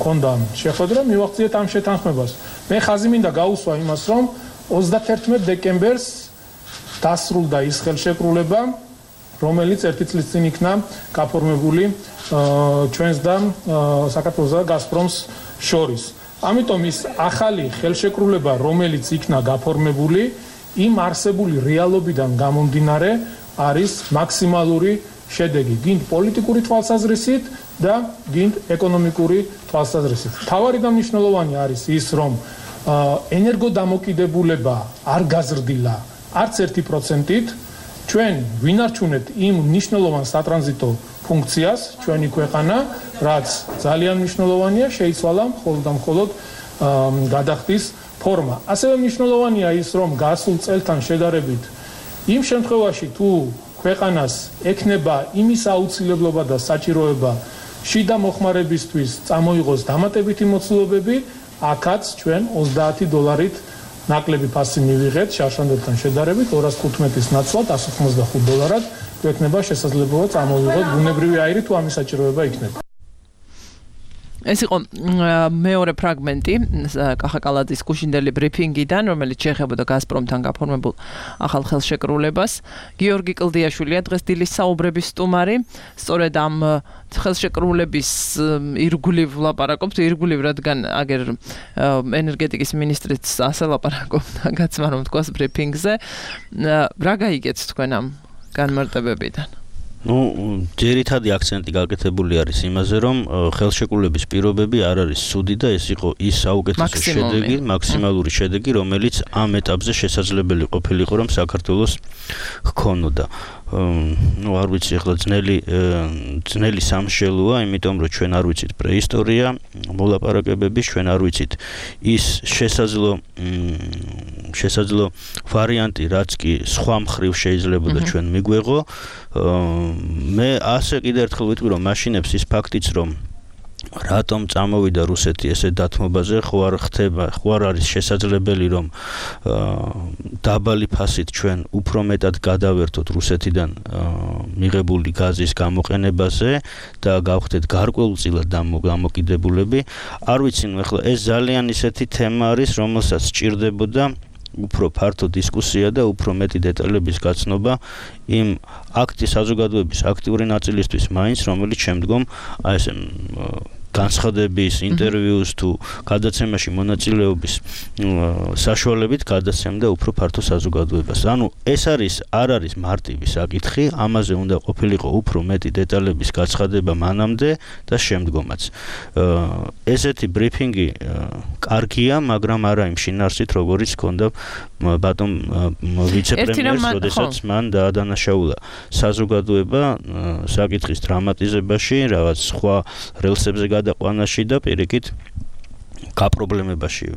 გქონდა შეხვედრა, მივახციეთ ამ შეთანხმებას. მე ხაზი მინდა გაუსვა იმას, რომ ოცდაათერთმეტ დეკემბერს დასრულდა ის ხელშეკრულება, რომელიც ერთი წლის წინ იქნა გაფორმებული ჩვენს და საქართველოს და გაზპრომს შორის. ამიტომ ის ახალი ხელშეკრულება, რომელიც იქნა გაფორმებული, იმ არსებული რეალობიდან გამომდინარე არის მაქსიმალური შედეგი, გინდ პოლიტიკური თვალსაზრისით და გინდ ეკონომიკური თვალსაზრისით. თავარი და მნიშვნელოვანი არის ის, რომ ენერგოდამოკიდებულება არ გაზრდილა არც ერთი პროცენტით. ჩვენ ვინარჩუნებთ იმ მნიშვნელოვან სატრანზიტო ფუნქციას, ჩვენი ქვეყანა, რაც ძალიან მნიშვნელოვანია, შეიცვალა მხოლოდ და მხოლოდ გადახდის ფორმა. ასევე მნიშვნელოვანია ის, რომ გასულ წელთან შედარებით იმ შემთხვევაში, თუ ქვეყანას ექნება იმის აუცილებლობა და საჭიროება შიდა მოხმარებისთვის წამოიღოს დამატებითი მოცულობები, აქაც ჩვენ ოცდაათი დოლარით ნაკლები ფასი მივიღეთ შარშანდელთან შედარებით ორას ხუთმეტის ნაცვლად ასი ოცდახუთ დოლარად, გვექნება შესაძლებლობა წამოვიღოთ ბუნებრივი აირი თუ ამის საჭიროება იქნება. ეს იყო მეორე ფრაგმენტი კახა კალაძის გუშინდელი ბრიფინგიდან, რომელიც შეეხებოდა გაზპრომთან გაფორმებულ ახალ ხელშეკრულებას. გიორგი კლდიაშვილია დღეს დილის საუბრების სტუმარი. სწორედ ამ ხელშეკრულების ირგვლივ ვლაპარაკობთ, ირგვლივ რადგან აგერ ენერგეტიკის მინისტრიც ასე ლაპარაკობდა, გაცმა რომ თქვას ბრიფინგზე. რა გაიგეთ თქვენ ამ განმარტებებიდან? Ну, ძირითადი აქცენტი გაკეთებული არის იმაზე, რომ ხელშეკრულების პირობები არ არის ცუდი და ეს იყო ის საუკეთესო შედეგი, მაქსიმალური შედეგი, რომელიც ამ ეტაპზე შესაძლებელი ყოფილიყო, რომ საქართველოს ჰქონოდა. ну, არ ვიცი, ახლა ძნელი ძნელი სამშელოა, იმიტომ რომ ჩვენ არ ვიცით პრეისტორია, მოლაპარაკებების, ჩვენ არ ვიცით ის შესაძლო შესაძლო ვარიანტი, რაც კი სხვა მხრივ შეიძლებოდა ჩვენ მიგვეღო. მე ასე კიდევ ერთხელ ვიტყვი, რომ მაშინებს ის ფაქტიც, რომ რატომ წამოვიდა რუსეთი ესე დათმობაზე, ხო არ ხდება, ხო არ არის შესაძლებელი, რომ დაბალი ფასით ჩვენ უფრო მეტად გადავერთოთ რუსეთიდან მიღებული გაზის გამოყენებაზე და გავხდეთ გარკვეულწილად დამოკიდებულები. არ ვიცი, ნუ ახლა ეს ძალიან ისეთი თემა არის, რომელსაც სჭირდებოდა უფრო ფართო დისკუსია და უფრო მეტი დეტალების გაცნობა იმ აქტის საზოგადოების აქტიური ნაწილისთვის მაინც, რომელიც შემდგომ აი ესე განცხადების, ინტერვიუს თუ გადაცემაში მონაწილეობის საშუალებით გადაცემდა უფრო ფართო საზოგადოებას. ანუ ეს არის არ არის მარტივი საკითხი, ამაზე უნდა ყოფილიყო უფრო მეტი დეტალების გაცხადება მანამდე და შემდგომაც. ესეთი ბრიფინგი კარგია, მაგრამ არა იმ შინაარსით, როგორიც ჰქონდა ბატონ ვიცე-პრემიერს, როდესაც მან დაადანაშაულა საზოგადოება საკითხის დრამატიზებაში, რაღაც სხვა რელსებზე გადაყვანაში და პირიქით გაპრობლემებაში.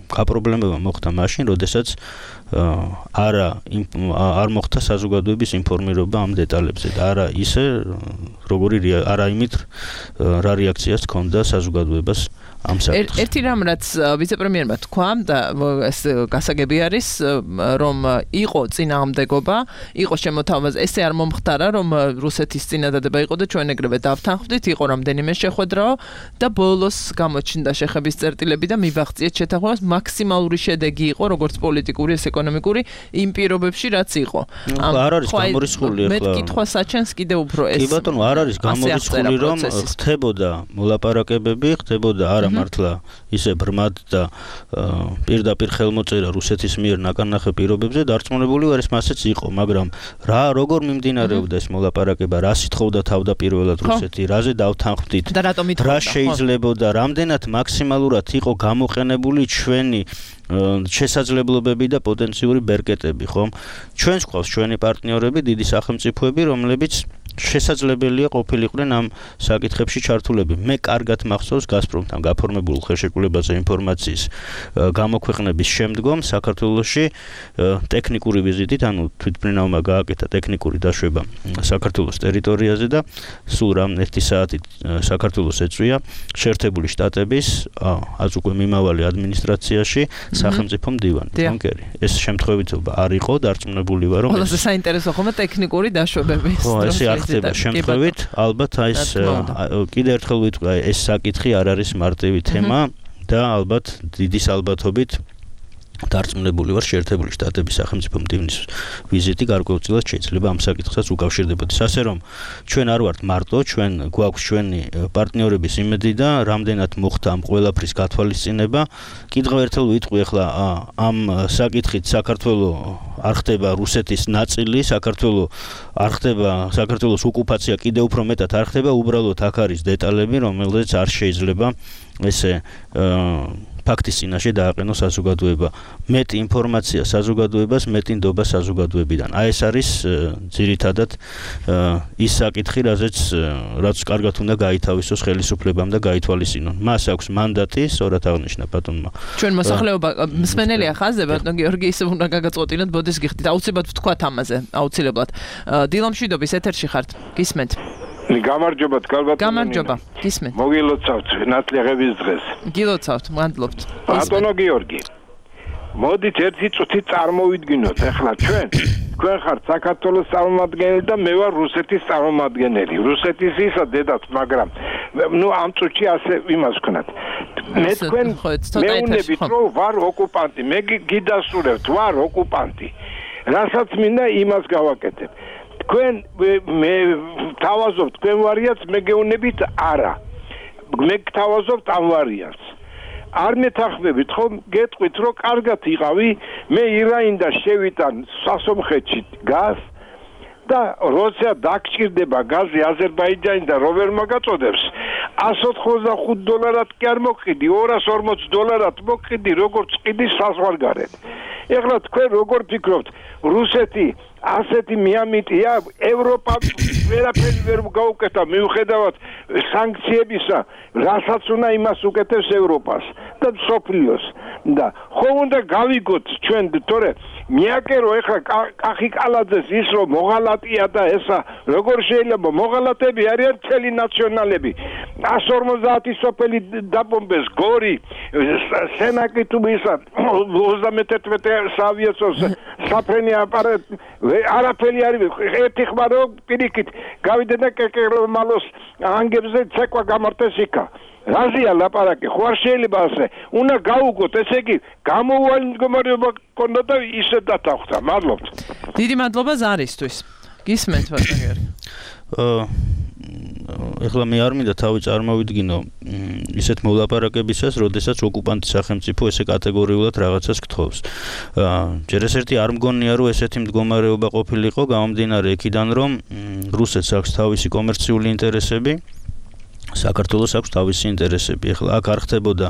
გაპრობლემება მოხდა მაშინ, როდესაც არა არ მოხდა საზოგადოების ინფორმირება ამ დეტალებზე და არა ისე, როგორი არა იმით რა რეაქციას ჰქონდა საზოგადოებას ამ საკითხს. ერთი რამ რაც ვიცე-პრემიერმა თქვა და ეს გასაგები არის, რომ იყო წინააღმდეგობა, იყო შემოთავაზ, ესე არ მომხდარა, რომ რუსეთის წინადადება იყო და ჩვენ ეგრევე დავთანხმდით, იყო რამდენიმე შეხვედრაო და ბოლოს გამოჩნდა შეხების წერტილები და მივაღწიეთ შეთანხმებას, მაქსიმალური შედეგი იყო, როგორც პოლიტიკური, ეს ეკონომიკური იმ პირობებში, რაც იყო. არ არის გამორიცხული ახლა. მე კითხვა საჩენს კიდევ უფრო ეს. კი ბატონო, არ არის გამორიცხული, რომ ხდებოდა მოლაპარაკებები, ხდებოდა არა მართლა ისე ბრმად და პირდაპირ ხელმოწერა რუსეთის მიერ ნაკარნახე პირობებზე დარწმუნებული ვარ, ეს მასეც იყო, მაგრამ რა როგორ მიმდინარეობდა ეს მოლაპარაკება, რა სითხოვდა თავდაპირველად რუსეთი, რაზე დავთანხმდით, რა შეიძლებოდა, რამდენად მაქსიმალურად იყო გამოყენებული ჩვენი შესაძლებლობები და პოტენციური ბერკეტები, ხომ? ჩვენს ყავს ჩვენი პარტნიორები, დიდი სახელმწიფოები, რომლებიც შესაძლებელია ყოფილიყვნენ ამ საკითხებში ჩართულები. მე კარგად მახსოვს გაზპრომთან გაფორმებულ ხელშეკრულებაზე ინფორმაციის გამოქვეყნების შემდგომ საქართველოში ტექნიკური ვიზიტით, ანუ თვითმფრინავმა გააკეთა ტექნიკური დაშვება საქართველოს ტერიტორიაზე და სულ რამ ერთი საათით საქართველოს ეწვია შეერთებული შტატების ას უკვე მიმავალი ადმინისტრაციაში სახელმწიფო მდივანი. კონკერი. ეს შემთხვევითობა არ იყო, დარწმუნებული ვარ, რომ ყველაზე საინტერესო ხომა ტექნიკური დაშვებები. ხო, ესე არ ხდება შემთხვევით, ალბათ აი ეს კიდევ ერთხელ ვიტყვი, ეს საკითხი არ არის მარტივი თემა და ალბათ დიდი ალბათობით დარწმუნებული ვარ, შეერთებული შტატების სახელმწიფო მდივნის ვიზიტი გარკვეულწილად შეიძლება ამ საკითხსაც უკავშირდებოდეს. ასე რომ ჩვენ არ ვართ მარტო, ჩვენ გვაქვს ჩვენი პარტნიორების იმედი და რამდენად მოხდა ამ ყველაფრის გათვალისწინება. კიდევ ერთხელ ვიტყვი, ახლა ამ საკითხით საქართველოს არ ხდება რუსეთის ნაწილი, საქართველოს არ ხდება საქართველოს ოკუპაცია კიდევ უფრო მეტად არ ხდება, უბრალოდ აქ არის დეტალები, რომელზეც არ შეიძლება ესე ფაქტის წინაშე დააყენოს საზოგადოება. მეტი ინფორმაცია საზოგადოებას, მეტი ნდობა საზოგადოებიდან. აი ეს არის ძირითადად ის საკითხი, რაზეც რაც კარგად უნდა გაითავისოს ხელისუფლებამ და გაითვალისწინონ. მას აქვს მანდატი, სწორად აღნიშნა ბატონმა. ჩვენ მოსახლეობა მსმენელია ხაზზე, ბატონ გიორგი, ისე უნდა გაგაწყვეტინოთ, ბოდეს გიხდით. აუცილებლად ვთქვათ ამაზე, აუცილებლად. დილომშვიდობის ეთერში ხართ, გისმენთ. გამარჯობა თქალბატონო. გამარჯობა, გისმენთ. მოგილოცავთ ნათლიაღების დღეს. გილოცავთ, მადლობთ. ბატონო გიორგი. მოდით ერთი წუთი წარმოვიდგინოთ, ახლა ჩვენ თქვენ ხართ საქართველოს წარმომადგენელი და მე ვარ რუსეთის წარმომადგენელი. რუსეთის ისა დედაც, მაგრამ ნუ ამ წუთში ასე იმას ვქნათ. მე თქვენ მეუნებით რომ ვარ ოკუპანტი, მე გიდასურებთ ვარ ოკუპანტი. რასაც მინდა იმას გავაკეთებ. თქვენ მე თავაზობთ თქვენ ვარიანტს, მე გეუნებით არა. მე გთავაზობთ ამ ვარიანტს. არ მეთანხმებით ხომ გეტყვით რომ კარგად იყავი, მე ირაინდა შევიტა სასომხეთში გაზ და როცა დაგჭირდება გაზი აზერბაიჯანიდან რო ვერ მაგაწოდებს εκατს ოცდახუთ დოლარად კი არ მოგყიდი, ორას ორმოც დოლარად მოგყიდი, როგორც ყიდი საზღვარგარეთ. ეხლა თქვენ როგორ ფიქრობთ, რუსეთი ასეთი მიამიტია, ევროპა ვერაფერი ვერ გაუკეთა მიუხედავად სანქციებისა, რასაც უნდა იმას უკეთებს ევროპას და მსოფლიოს. და ხო უნდა გავიგოთ ჩვენ, თორე მიაკერო ეხლა კახი კალაძეს ის რომ მოღალატია და ესა როგორ შეიძლება მოღალატები არიან მთელი ნაციონალები. εκατს ორმოცდაათი სოფელი დაბომბეს, გორი, სენაკი თუ ისა ოცდამეთერთმეტე საავიაციო საფრენი აპარატი არაფერი არის, ერთი ხმარო პირიქით გავიდა და კეკერმალოს ანგებზე ცეკვა გამართეს იქა. რაზეა ლაპარაკი, ხო არ შეიძლება ასე. უნდა გაუგოთ, ესე იგი გამოუვალი მდგომარეობა გქონდა და ისე დათანხმდა. მადლობთ. დიდი მადლობა ზარისთვის. გისმენთ ბატონო გიორგი. აა ეხლა მე არ მინდა თავი წარმოვიდგინო ისეთ მოლაპარაკებისას, როდესაც ოკუპანტი სახელმწიფო ესე კატეგორიულად რაღაცას გთხოვს. აა ჯერ ეს ერთი არ მგონია რომ ესეთი მდგომარეობა ყოფილიყო, გამომდინარე იქიდან რომ რუსეთს აქვს თავისი კომერციული ინტერესები, საქართველოს აქვს თავისი ინტერესები. ეხლა აქ არ ხდებოდა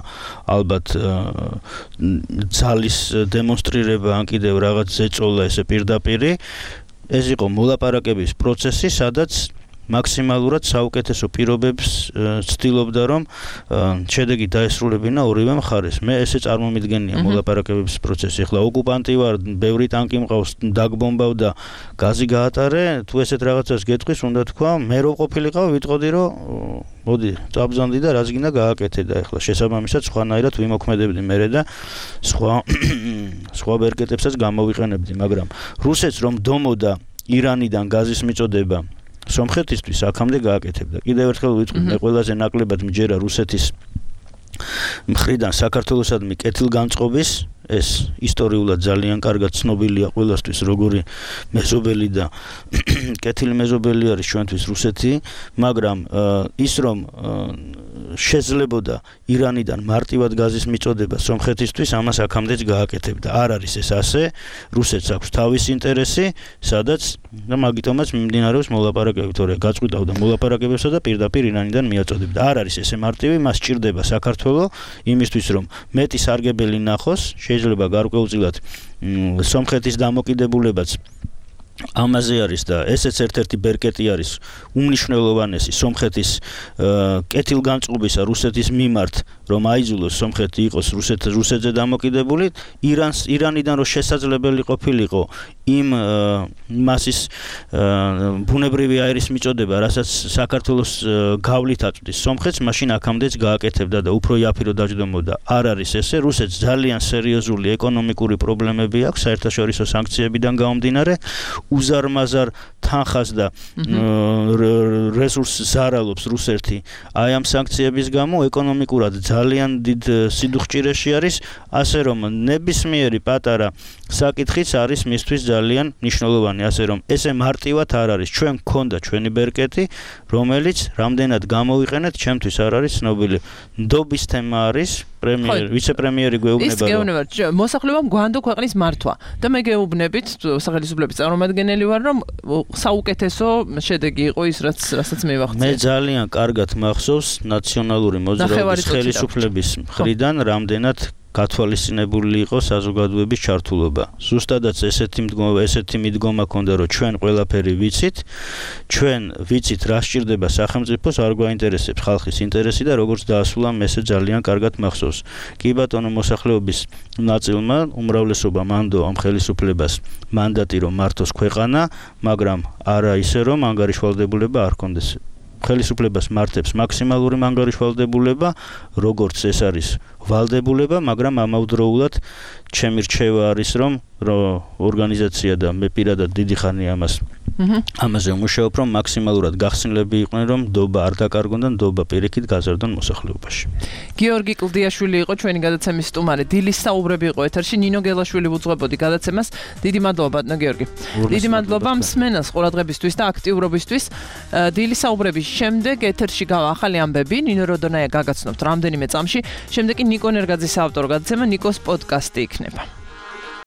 ალბათ ძალის დემონსტრირება ან კიდევ რაღაც ზეწოლა ესე პირდაპირი. ეს იყო მოლაპარაკების პროცესი, სადაც მაქსიმალურად საუკეთესო პირობებს ცდილობდა რომ შედეგი დაესრულებინა ორივე მხარეს. მე ესე წარმომიდგენია მოლაპარაკებების პროცესი. ეხლა ოკუპანტი ვარ, ბევრი ტანკი მყავს, დაგბომბავ და გაზი გაატარე, თუ ესეთ რაღაცას გეტყვის, უნდა თქვა, მე რო ყოფილიყავ, ვიტყოდი რომ მოდი, წაბზანდი და რაც გინდა გააკეთე და ეხლა შესაბამისად სხვანაირად ვიმოქმედებდი მერე და სხვა სხვა ვერკეტებსაც გამოვიყენებდი, მაგრამ რუსეთს რომ დომოდა ირანიდან გაზის მიწოდება სომხეთისთვის აქამდე გააკეთებდა. კიდევ ერთხელ ვიტყვი, მე ყველაზე ნაკლებად მჯერა რუსეთის მხრიდან საქართველოსადმი კეთილგანწყობის, ეს ისტორიულად ძალიან კარგად ცნობილია ყველასთვის, როგორი მეზობელი და კეთილი მეზობელი არის ჩვენთვის რუსეთი, მაგრამ ის რომ შეძლებოდა ირანიდან მარტივად გაზის მიწოდება სომხეთისთვის, ამას აქამდეც გააკეთებდა. არ არის ეს ასე, რუსეთს აქვს თავისი ინტერესი, სადაც და მაგიტომაც მიმდინარეობს მოლაპარაკებები, თორე გაწყვიტავდა მოლაპარაკებებსა და პირდაპირ ირანიდან მიაწოდებდა. არ არის ესე მარტივი, მას სჭირდება საქართველო იმისთვის, რომ მეტი სარგებელი ნახოს, შეიძლება გარკვეულწილად სომხეთის დამოკიდებულებაც ამაზე არის და ესეც ერთ-ერთი ბერკეტი არის უმნიშვნელოვანესი სომხეთის კეთილგანწყობისა რუსეთის მიმართ, რომ აიძულოს სომხეთი იყოს რუსეთ რუსეთზე დამოკიდებული, ირანს ირანიდან რო შესაძლებელი ყოფილიყო იმ მასის ბუნებრივი აირის მიწოდება, რასაც საქართველოს გავლით აწვდის სომხეთს, მაშინ აქამდეც გააკეთებდა და უფრო იაფირო დაჯდომოდა. არ არის ესე, რუსეთს ძალიან სერიოზული ეკონომიკური პრობლემები აქვს საერთაშორისო სანქციებიდან გამომდინარე. უზარმაზარ თანხას და რესურსს ზარალობს რუსეთი აი ამ სანქციების გამო, ეკონომიკურად ძალიან დიდ სიდუხჭირეში არის, ასე რომ ნებისმიერი პატარა საკითხიც არის მისთვის ძალიან მნიშვნელოვანი, ასე რომ ესე მარტივად არ არის. ჩვენ გქონდა ჩვენი ბერკეტი, რომელიც რამდენად გამოვიყენეთ, ჩემთვის არ არის ცნობილი. ნდობის თემა არის პრემიერ, ვიცე-პრემიერი გვეუბნება. ის გეუბნებათ, მოსახლეობამ გვანდო ქვეყნის მართვა და მე გეუბნებით სახელმწიფოების წარმომადგენელი ვარ, რომ საუკეთესო შედეგი იყო ის, რაც რასაც მივახციე. მე ძალიან კარგად მახსოვს ნაციონალური მოძრაობის ხელისუფლების მხრიდან რამდენად გათვალისწინებული იყო საზოგადოების ჩართულობა. ზუსტადაც ესეთი მდგომა, ესეთი მიდგომა ქონდა, რომ ჩვენ ყველაფერი ვიცით, ჩვენ ვიცით რა სჭირდება სახელმწიფოს, არ გვაინტერესებს ხალხის ინტერესი და როგორც დაასრულა, ესე ძალიან კარგად მახსოვს. კი ბატონო, მოსახლეობის ნაწილმა, უმრავლესობამ ანდო ამ ხელისუფლებას მანდატი რომ მართოს ქვეყანა, მაგრამ არა ისე რომ ანგარიშვალდებულება არ კონდეს. ხელისუფლებას მართებს მაქსიმალური ანგარიშვალდებულება, როგორც ეს არის ვალდებულება, მაგრამ ამავდროულად ჩემი რჩევა არის, რომ ორგანიზაცია და მე პირადად დიდი ხანი ამას ამაზე ვმუშაობ, რომ მაქსიმალურად გახსნილები იყვნენ, რომ ნდობა არ დაკარგონ და ნდობა პირიქით გაზარდონ მოსახლეობაში. გიორგი კლდიაშვილი იყო ჩვენი გადაცემის სტუმარი. დილის საუბრები იყო ეთერში. ნინო გელაშვილი უძღვებოდი გადაცემას. დიდი მადლობა, ბატონო გიორგი. დიდი მადლობა მსმენელს ყურადღებისთვის და აქტიურობისთვის. დილის საუბრების შემდეგ ეთერში გავა ახალი ამბები. ნინო როდონაია გაგაცნობთ რამდენიმე წამში. შემდეგ კი ნიკო ნერგაძის საავტორო გადაცემა ნიკოს პოდკასტი იქნება.